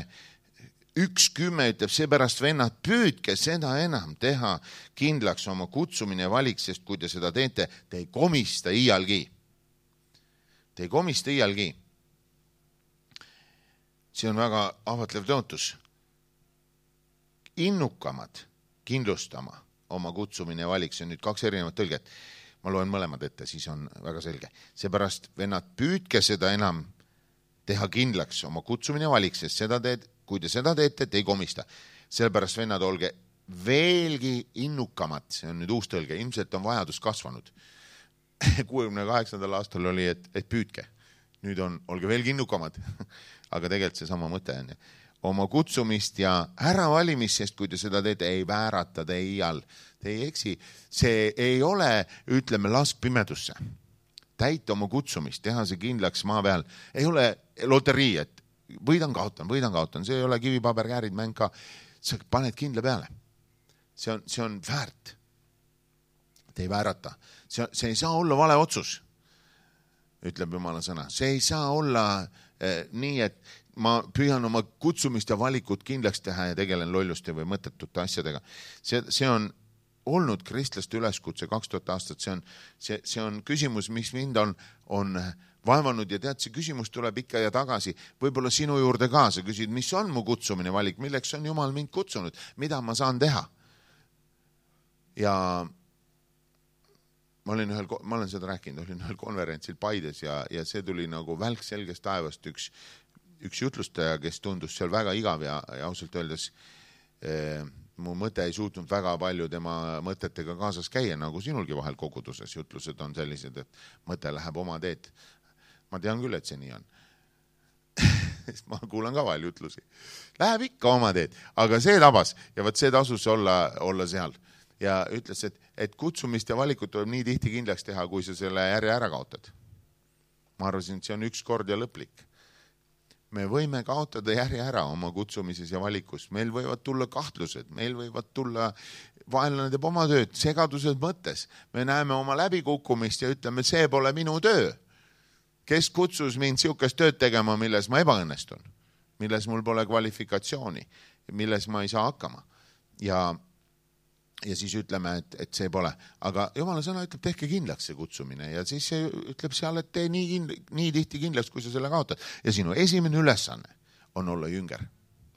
1:10 ütleb, seepärast vennad, püüdke seda enam teha kindlaks oma kutsumine ja valik, sest kui te seda teete, te ei komista iialgi. Te ei komista iialgi. See on väga ahvatlev tõotus. Innukamad kindlustama oma kutsumine ja valik, see on nüüd 2 erinevat tõlget. Ma loen mõlemad ette, siis on väga selge. Seepärast vennad, püüdke seda enam teha kindlaks oma kutsumine ja valik, sest kui te seda teete, te ei komista. Sellepärast vennad, olge veelgi innukamad, see on nüüd uus tõlge, ilmselt on vajadus kasvanud. 68. aastal oli, et püüdke. Nüüd on, olge veelgi innukamad, aga tegelikult see sama mõte on. Oma kutsumist ja äravalimist, sest kui te seda teete, ei väärata te iial. Te ei eksi. See ei ole, ütleme, lask pimedusse. Täita oma kutsumist, teha see kindlaks maa peal. Ei ole loterii, et võidan kaotan. See ei ole kivipaberkäärid mäng ka. Sa paned kindla peale. See on väärt. Te ei väärata. See ei saa olla vale otsus, ütleb Jumala sõna. See ei saa olla nii, et ma püüan oma kutsumist ja valikut kindlaks teha ja tegelen lolluste või mõttetute asjadega. See on olnud kristlaste üleskutse 2000 aastat. See on küsimus, mis mind on vaevanud ja tead, see küsimus tuleb ikka ja tagasi. Võib-olla sinu juurde ka. Sa küsid, mis on mu kutsumine valik, milleks on Jumal mind kutsunud, mida ma saan teha. Ja ma olen seda rääkinud, olin ühel konverentsil Paides ja see tuli nagu välk selgest taevast üks üks jutlustaja, kes tundus seal väga igav ja ausalt öeldes mu mõte ei suutnud väga palju tema mõtetega kaasas käia, nagu sinulgi vahel koguduses. Jutlused on sellised, et mõte läheb oma teed. Ma tean küll, et see nii on. Ma kuulan ka vahel jutlusi. Läheb ikka oma teed, aga see tabas ja võt see tasus olla seal. Ja ütles, et kutsumist ja valikut tuleb nii tihti kindlaks teha, kui sa selle järje ära kaotad. Ma arvasin, et see on üks kord ja lõplik. Me võime kaotada järje ära oma kutsumises ja valikus. Meil võivad tulla kahtlused, meil võivad tulla vaenlane teeb oma tööd, segadused mõttes. Me näeme oma läbikukkumist ja ütleme, see pole minu töö. Kes kutsus mind siukest tööd tegema, milles ma ebaõnnestun, milles mul pole kvalifikatsiooni, milles ma ei saa hakkama. Ja siis ütleme, et see pole. Aga Jumala sõna ütleb, tehke kindlaks see kutsumine ja siis see ütleb seal, et tee nii tihti kindlaks, kui sa selle kaotad. Ja sinu esimene ülesanne on olla jünger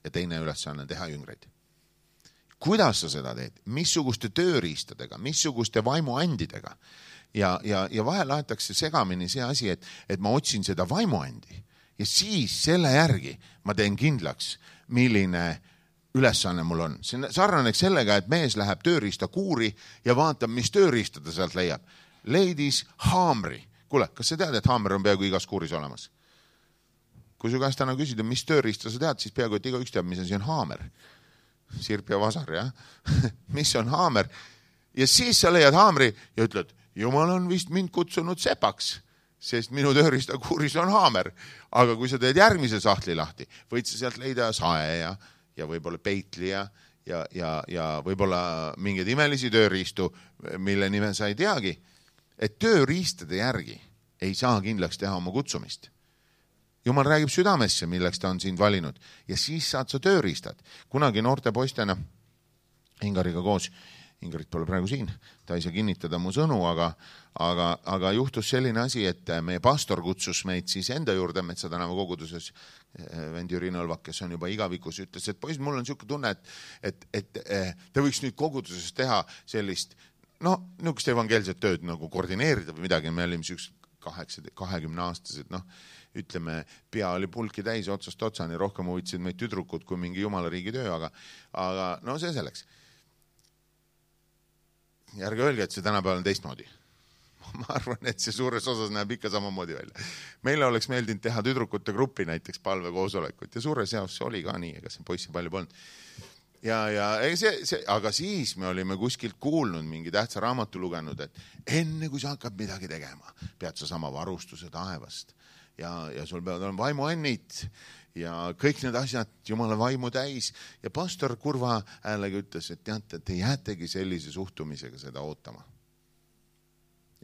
ja teine ülesanne teha jüngreid. Kuidas sa seda teed? Missuguste tööriistadega, missuguste vaimuandidega? Ja vahel laetakse segamini see asi, et ma otsin seda vaimuandi ja siis selle järgi ma teen kindlaks, milline ülesanne mul on. See sarnaneks sellega, et mees läheb tööriista kuuri ja vaatab, mis tööriista ta sealt leiab. Leidis haamri. Kuule, kas sa tead, et haamer on peaaegu igas kuuris olemas? Kui su käest täna küsida, mis tööriista sa tead, siis peaaegu, et igaüks teab, mis asi on haamer. Sirp ja vasar, jah? Mis on haamer? Ja siis sa leiad haamri ja ütled, Jumal on vist mind kutsunud sepaks, sest minu tööriista kuuris on haamer. Aga kui sa teed järgmise sahtli lahti, võid sa sealt leida sae ja võib-olla peitli ja võib-olla mingeid imelisi tööriistu, mille nime sa ei teagi, et tööriistade järgi ei saa kindlaks teha oma kutsumist. Jumal räägib südamesse, milleks ta on sind valinud ja siis saad sa tööriistad. Kunagi noorte poistena Ingariga koos, Ingarit pole praegu siin, ta ei saa kinnitada mu sõnu, aga juhtus selline asi, et meie pastor kutsus meid siis enda juurde Metsa tänava koguduses, vend Jüri Nõlvak, kes on juba igavikus, ütles, et poiss, mul on niisugune tunne, et ta võiks nüüd koguduses teha sellist, niisugust evangeelset tööd nagu koordineerida või midagi, me olime 20-aastased, ütleme, pea oli pulki täis otsast otsani, rohkem huvitasid meid tüdrukud kui mingi jumala riigi töö, aga see selleks. Järge öelge, et see tänapäeval on teistmoodi. Ma arvan, et see suures osas näeb ikka samamoodi välja. Meile oleks meeldinud teha tüdrukute gruppi näiteks palvekoosolekut ja suures jaos see oli ka nii, ega see poissi palju polnud. Aga siis me olime kuskilt kuulnud, mingi tähtsa raamatu lugenud, et enne kui sa hakkad midagi tegema, pead sa sama varustuse taevast ja sul peavad olema vaimuannid ja kõik need asjad Jumala vaimu täis ja pastor kurva häälega ütles, et teate, te jäätegi sellise suhtumisega seda ootama.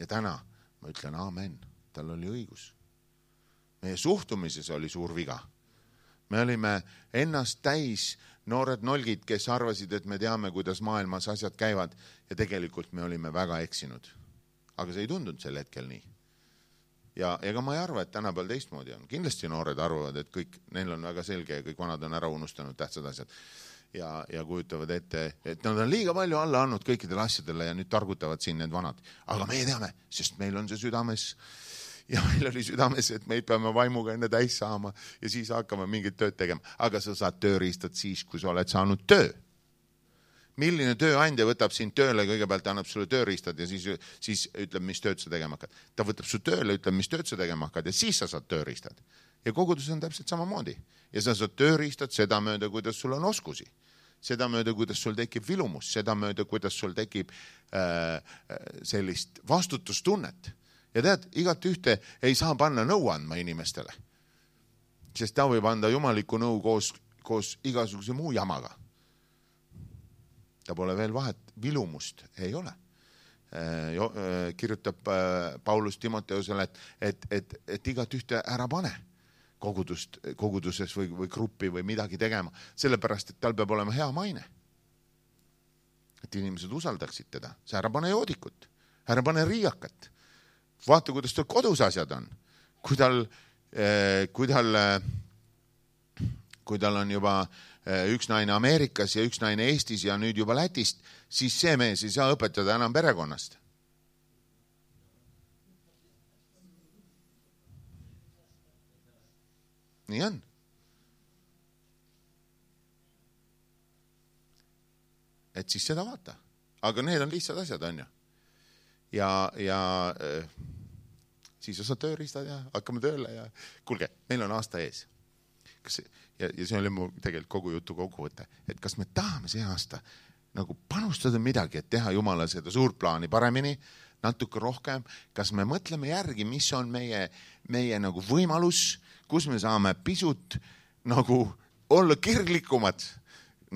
Ja täna ma ütlen aamen, tal oli õigus. Meie suhtumises oli suur viga. Me olime ennast täis noored nolgid, kes arvasid, et me teame, kuidas maailmas asjad käivad ja tegelikult me olime väga eksinud. Aga see ei tundunud sel hetkel nii. Ja ega ma ei arva, et tänapäeval teistmoodi on. Kindlasti noored arvavad, et kõik, neil on väga selge ja kõik vanad on ära unustanud tähtsad asjad. Ja kujutavad ette, et nad on liiga palju alla andnud kõikidele asjadele ja nüüd targutavad siin need vanad. Aga meie teame, sest meil on see südames ja meil oli südames, et meid peame vaimuga enne täis saama ja siis hakkame mingit tööd tegema. Aga sa saad tööriistad siis, kui sa oled saanud töö. Milline tööandja võtab sind tööle, kõigepealt annab sulle tööriistad ja siis ütleb, mis tööd sa tegema hakkad. Ta võtab su tööle, ütleb, mis tööd sa tegema hakkad ja siis sa saad tööriistad. Ja kogudus on täpselt samamoodi. Ja sa saad tööriistad seda mööda, kuidas sul on oskusi. Seda mööda, kuidas sul tekib vilumus. Seda mööda, kuidas sul tekib sellist vastutustunnet. Ja tead, igat ühte ei saa panna nõu andma inimestele. Sest ta võib anda jumaliku nõu koos igasuguse muu jamaga. Ta pole veel vahet, vilumust ei ole. Kirjutab Paulus Timoteusele, et igat ühte ära pane koguduses või gruppi või midagi tegema, sellepärast, et tal peab olema hea maine. Et inimesed usaldaksid teda. See ära pane joodikut, ära pane riiakat. Vaata, kuidas tal kodus asjad on. Kui tal on juba üks naine Ameerikas ja üks naine Eestis ja nüüd juba Lätist, siis see mees ei saa õpetada enam perekonnast. Nii on. et siis seda vaata. Aga need on lihtsad asjad, on ju. Ja siis osad tööriistad ja hakkame tööle ja kuulge, meil on aasta ees. Ja see oli mu tegelikult kogu jutu kokkuvõte, et kas me tahame see aasta nagu panustada midagi, et teha Jumala seda suurt plaani paremini, natuke rohkem, kas me mõtleme järgi, mis on meie nagu võimalus, kus me saame pisut nagu olla kirglikumad,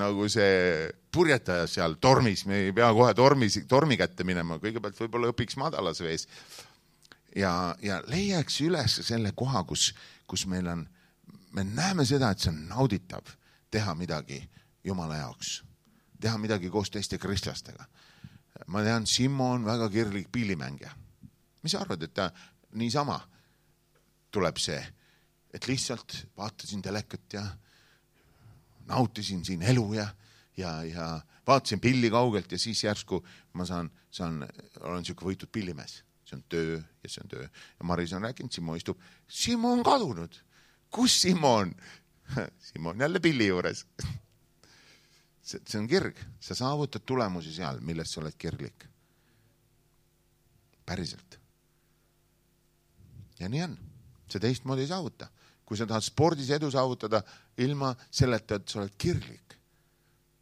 nagu see purjetaja seal tormis, me ei pea kohe tormi kätte minema, kõigepealt võib-olla õpiks madalas vees ja leiaks üles selle koha, kus meil on, me näeme seda, et see on nauditav teha midagi Jumala jaoks, teha midagi koos teiste kristlastega. Ma tean, Simmo on väga kirglik pillimängija. Mis sa arvad, et ta niisama tuleb see, et lihtsalt vaatasin telekat ja nautisin siin elu ja vaatasin pilli kaugelt ja siis järsku ma olen siuke võitud pillimees. See on töö ja see on töö. Ja Maris on rääkinud, Simmo istub. Simmo on kadunud. Kus Simmo on? Simmo on jälle pilli juures. See on kirg. Sa saavutad tulemusi seal, millest sa oled kirglik. Päriselt. Ja nii on. See teistmoodi ei saavuta. Kui sa tahad spordis edu saavutada ilma selleta, et sa oled kirglik,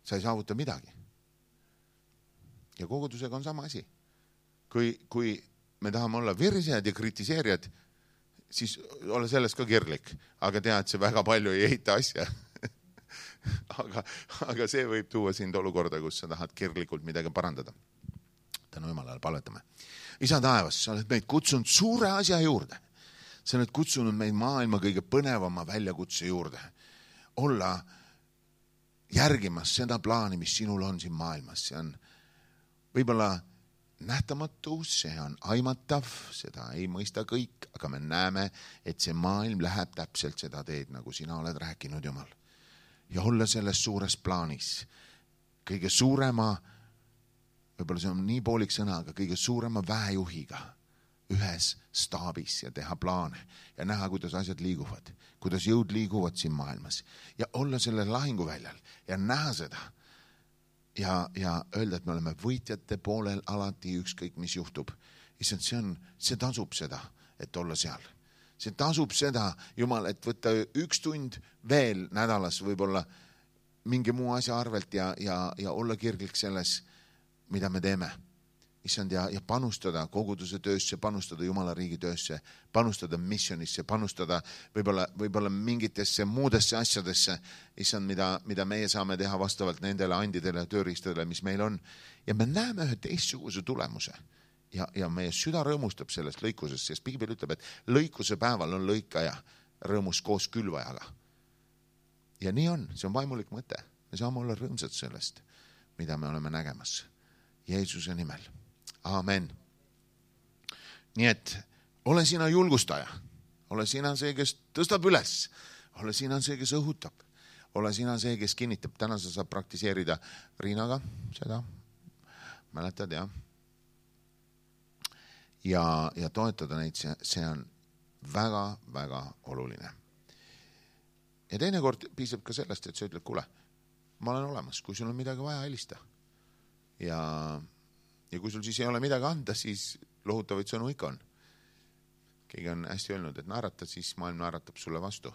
sa ei saavuta midagi. Ja kogudusega on sama asi. Kui me tahame olla virsejad ja kritiseerijad, siis ole sellest ka kirglik. Aga tea, et see väga palju ei ehita asja. aga see võib tuua sind olukorda, kus sa tahad kirglikult midagi parandada. Tänu Jumalale palvetame. Isa taevas, sa oled meid kutsunud suure asja juurde. Sa oled kutsunud meid maailma kõige põnevama väljakutse juurde. Olla järgimas seda plaani, mis sinul on siin maailmas. See on võib-olla nähtamatu, see on aimatav, seda ei mõista kõik, aga me näeme, et see maailm läheb täpselt seda teed, nagu sina oled rääkinud, Jumal. Ja olla selles suures plaanis kõige suurema, võib-olla see on nii poolik sõna, aga kõige suurema väejuhiga ühes staabis ja teha plaane ja näha, kuidas asjad liiguvad, kuidas jõud liiguvad siin maailmas ja olla selle lahinguväljal ja näha seda ja öelda, et me oleme võitjate poolel alati ükskõik, mis juhtub. See tasub seda, et olla seal. See tasub seda, Jumal, et võtta 1 tund veel nädalas võib-olla mingi muu asja arvelt ja olla kirglik selles, mida me teeme. Issand, ja panustada koguduse töösse, panustada Jumala riigi töösse, panustada missionisse, panustada võib-olla mingitesse muudesse asjadesse, issand, mida meie saame teha vastavalt nendele andidele ja tööriistadele, mis meil on. Ja me näeme ühe teistsuguse tulemuse ja meie süda rõõmustab sellest lõikusest, sest Piibel ütleb, et lõikuse päeval on lõikaja rõõmus koos külvajaga. Ja nii on, see on vaimulik mõte. Me saame olla rõõmsad sellest, mida me oleme nägemas. Jeesuse nimel. Amen. Nii et ole sina julgustaja, ole sina see, kes tõstab üles, ole sina see, kes õhutab, ole sina see, kes kinnitab. Täna sa saab praktiseerida Riinaga seda, mäletad, ja toetada neid, see on väga, väga oluline. Ja teinekord piisab ka sellest, et sa ütled, kuule, ma olen olemas, kui sul on midagi vaja, helista. Ja kui sul siis ei ole midagi anda, siis lohutavaid sõnu ikka on. Keegi on hästi öelnud, et naerata, siis maailm naeratab sulle vastu.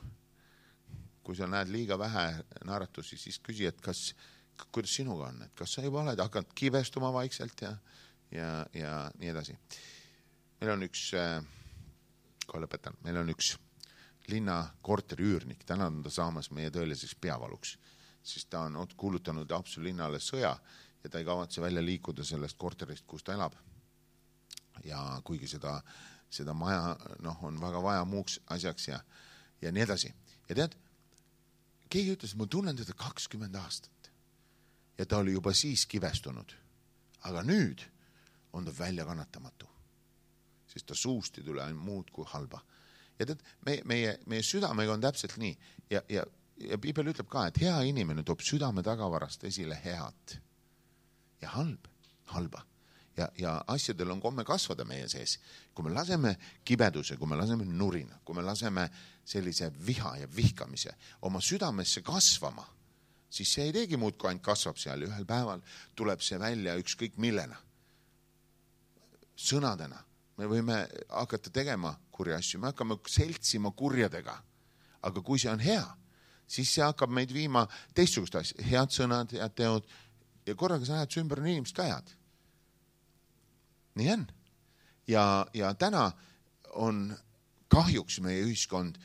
Kui sa näed liiga vähe naeratusi, siis küsi, et kuidas sinuga on, et kas sa juba oled hakanud kivestuma vaikselt ja nii edasi. Meil on üks linna korteri üürnik, täna on ta saamas meie tõeliseks peavaluks, sest ta on kuulutanud Haapsalu linnale sõja ja ta ei kavatse välja liikuda sellest korterist, kus ta elab. Ja kuigi seda maja on väga vaja muuks asjaks ja nii edasi. Ja tead, keegi ütles, et ma tunnen teda 20 aastat ja ta oli juba siis kivestunud. Aga nüüd on ta välja kannatamatu, sest ta suust ei tule ainult muud kui halba. Ja tead, meie südamega on täpselt nii ja Piibel ütleb ka, et hea inimene toob südame tagavarast esile head. Ja halba. Ja asjadel on komme kasvada meie sees. Kui me laseme kibeduse, kui me laseme nurina, kui me laseme sellise viha ja vihkamise oma südamesse kasvama, siis see ei teegi muud, kui ainult kasvab seal ja ühel päeval tuleb see välja ükskõik millena. Sõnadena. Me võime hakata tegema kurja asju, me hakkame seltsima kurjadega. Aga kui see on hea, siis see hakkab meid viima teistsugust asja. Head sõnad, head teod ja korraga sa näed, su ümber on inimesed ka head. Nii on. Ja täna on kahjuks meie ühiskond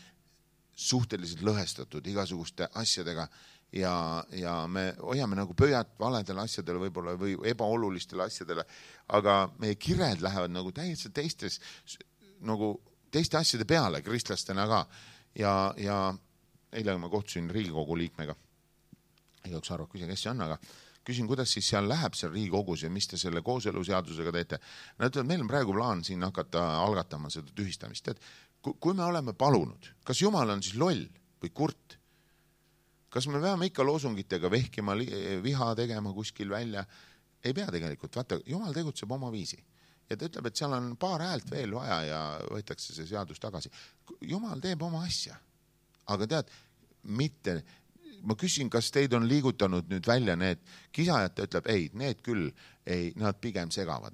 suhteliselt lõhestatud igasuguste asjadega ja me hoiame nagu pöiat valedele asjadele võib-olla või ebaolulistele asjadele, aga meie kired lähevad nagu täiesti teiste asjade peale kristlastena ka. Ja eile ma kohtusin Riigikogu liikmega. Igaüks arvab, küsin, kes see on, aga küsin, kuidas siis seal läheb seal Riigikogus ja mis te selle kooseluseadusega teete. Nad ütlevad, meil on praegu plaan siin hakata algatama seda tühistamist. Kui me oleme palunud, kas Jumal on siis loll või kurt? Kas me peame ikka loosungitega vehkima, viha tegema kuskil välja? Ei pea tegelikult. Vaata, Jumal tegutseb oma viisi. Ja ta ütleb, et seal on paar häält veel vaja ja võetakse see seadus tagasi. Jumal teeb oma asja. Aga tead, mitte... Ma küsin, kas teid on liigutanud nüüd välja need kisajad, ta ütleb, ei, need küll, ei, nad pigem segavad,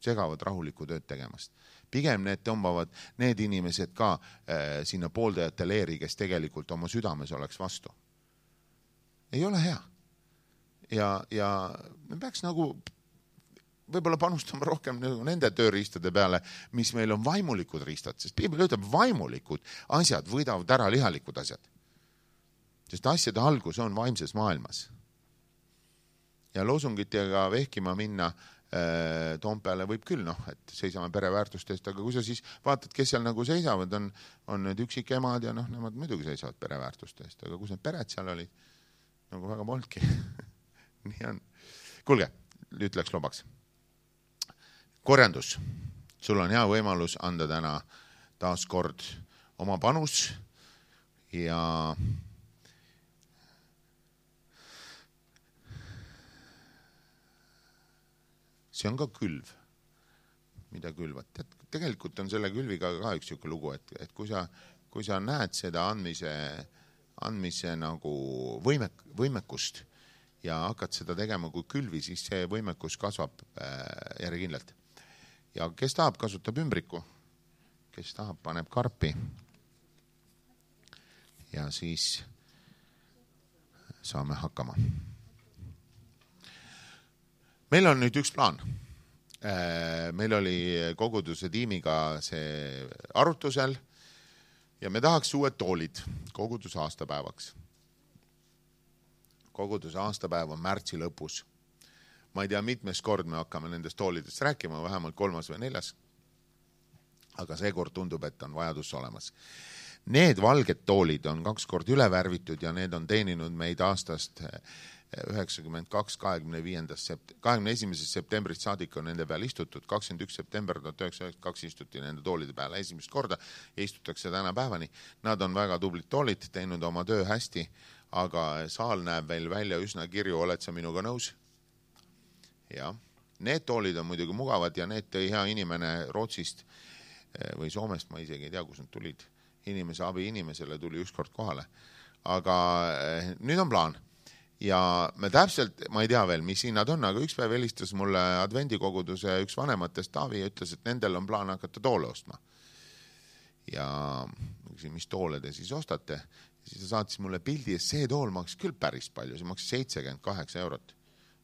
segavad rahulikku tööd tegemast. Pigem need tõmbavad need inimesed ka sinna pooldajate leeri, kes tegelikult oma südames oleks vastu. Ei ole hea. Ja me peaks nagu võib-olla panustama rohkem nende tööriistade peale, mis meil on vaimulikud riistad, sest Piibel ütleb, vaimulikud asjad võidavad ära lihalikud asjad. Sest asjade algus on vaimses maailmas. Ja loosungitega vehkima minna Toompeale võib küll, et seisame pereväärtustest, aga kui sa siis vaatad, kes seal nagu seisavad, on need üksikemad ja nemad muidugi seisavad pereväärtustest, aga kus need pered seal olid, nagu väga polnudki. Nii on. Kuulge, ütleks lobaks. Korjandus. Sul on hea võimalus anda täna taas kord oma panus ja see on ka külv, mida külvad. Tegelikult on selle külviga ka üks siuke lugu, et kui sa näed seda andmise nagu võimekust ja hakkad seda tegema kui külvi, siis see võimekus kasvab järjekindlalt. Ja kes tahab, kasutab ümbriku. Kes tahab, paneb karpi. Ja siis saame hakkama. Meil on nüüd üks plaan. Meil oli koguduse tiimiga see arutusel ja me tahaks uued toolid koguduse aastapäevaks. Koguduse aastapäev on märtsi lõpus. Ma ei tea, mitmes kord me hakkame nendest toolidest rääkima, vähemalt 3. või 4. Aga seekord tundub, et on vajadus olemas. Need valged toolid on 2 kord üle värvitud ja need on teeninud meid aastast 92, 21. septembrist saadik on nende peal istutud, 21. september 1992 istuti nende toolide peale esimest korda ja istutakse täna päevani. Nad on väga tublid toolid, teinud oma töö hästi, aga saal näeb veel välja üsna kirju, oled sa minuga nõus? Ja, need toolid on muidugi mugavad ja need tõi hea inimene Rootsist või Soomest, ma isegi ei tea, kus nad tulid. Inimese abi inimesele tuli ükskord kohale. Aga nüüd on plaan. Ja me täpselt, ma ei tea veel, mis hinnad on, aga üks päev helistas mulle advendikoguduse üks vanematest Taavi ja ütles, et nendel on plaan hakata toole ostma. Ja küsin, mis toole te siis ostate? Ja siis ta saatis mulle pildi ja see tool maksis küll päris palju, see maksis 78 €,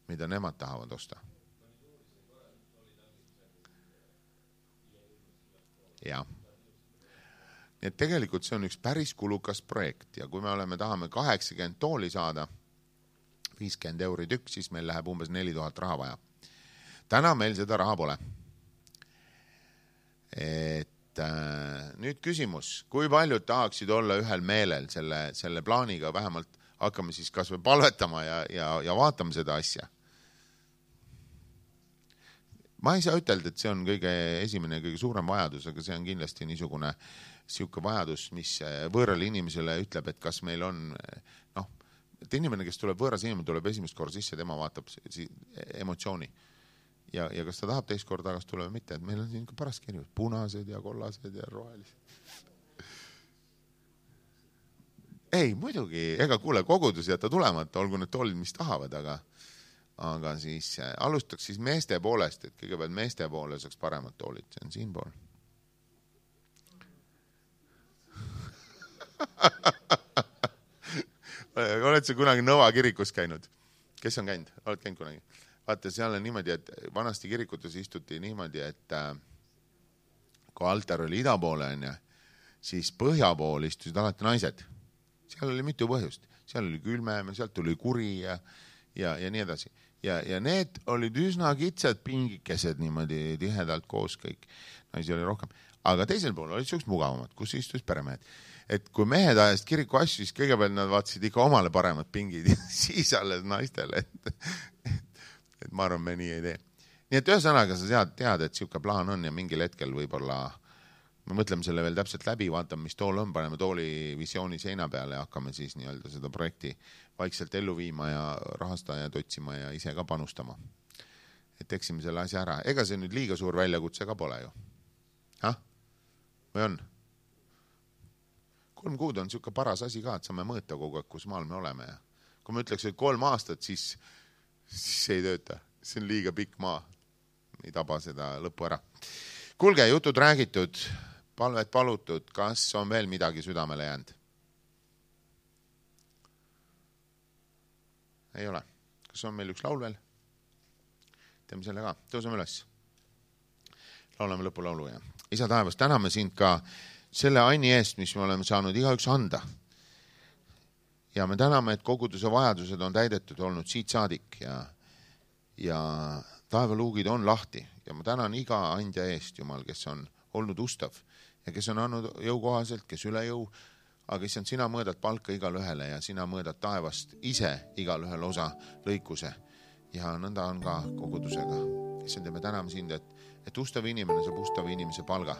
mida nemad tahavad osta. Ja. Nii et tegelikult see on üks päris kulukas projekt ja kui me tahame 80 tooli saada, 50 € tükk, siis meil läheb umbes 4000 raha vaja. Täna meil seda raha pole. Et nüüd küsimus, kui paljud tahaksid olla ühel meelel selle plaaniga, vähemalt hakkame siis kas või palvetama ja vaatame seda asja. Ma ei saa ütelda, et see on kõige esimene ja kõige suurem vajadus, aga see on kindlasti niisugune siuke vajadus, mis võõrale inimesele ütleb, et kas meil on, et inimene, kes tuleb võõras inimene, tuleb esimest korda sisse, tema vaatab emotsiooni. Ja kas ta tahab teist korda tagasi tulla või mitte, et meil on siin ka parast kirjus, punased ja kollased ja rohelised. ei, muidugi, ega kuule, kogudus jätta tulemata, olgu need toolid, mis tahavad, aga siis alustaks siis meeste poolest, et kõigepealt meeste poole saaks paremad toolid, see on siin pool. Oled sa kunagi Nõva kirikus käinud? Kes on käinud? Oled käinud kunagi? Vaata, seal on niimoodi, et vanasti kirikutes istuti niimoodi, et kui altar oli ida poole, siis põhja pool istusid alati naised. Seal oli mitu põhjust. Seal oli külmem, sealt tuli kuri ja nii edasi. Ja need olid üsna kitsad pingikesed niimoodi tihedalt koos kõik. Naisi oli rohkem. Aga teisel pool olid sellised mugavamad, kus istus peremehed. Et kui mehed ajast kiriku asju, siis kõigepealt nad vaatasid ikka omale paremad pingid ja siis alles naistele. Et ma arvan, me nii ei tee. Nii et ühesõnaga sa tead, et siuke plaan on ja mingil hetkel võib-olla me mõtleme selle veel täpselt läbi, vaatame, mis tool on, paneme tooli visiooni seina peale ja hakkame siis nii-öelda seda projekti vaikselt ellu viima ja rahastajad otsima ja ise ka panustama. Et teksime selle asja ära. Ega see nüüd liiga suur väljakutse ka pole ju. Või on? 3 kuud on siuke paras asi ka, et saame mõõta kogu aeg, kus maal me oleme. Ja kui me ütleks, et 3 aastat, siis ei tööta. See on liiga pikk maa. Ei taba seda lõppu ära. Kuulge, jutud räägitud, palvet palutud, kas on veel midagi südamele jäänud? Ei ole. Kas on meil üks laul veel? Teeme selle ka. Tõuseme üles. Laulame lõpulaulu ja Isa taevas, täname sind ka selle aini eest, mis me oleme saanud igaüks anda. Ja me täname, et koguduse vajadused on täidetud olnud siit saadik ja taevaluugid on lahti ja ma tänan iga andja eest, Jumal, kes on olnud ustav ja kes on andnud jõukohaselt, kes üle jõu, aga issand, sina mõõdad palka igal ühele ja sina mõõdad taevast ise igal ühel osa lõikuse ja nõnda on ka kogudusega. Issand, ja me täname sind, et ustav inimene saab ustava inimese palga.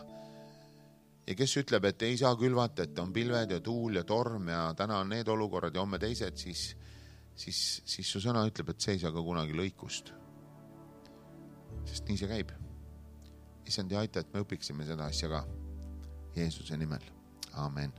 Ja kes ütleb, et ei saa külvata, et on pilved ja tuul ja torm ja täna on need olukorrad ja homme teised, siis su sõna ütleb, et see ei saa ka kunagi lõikust. Sest nii see käib. Issand, ja aita, et me õpiksime seda asja ka. Jeesuse nimel. Amen.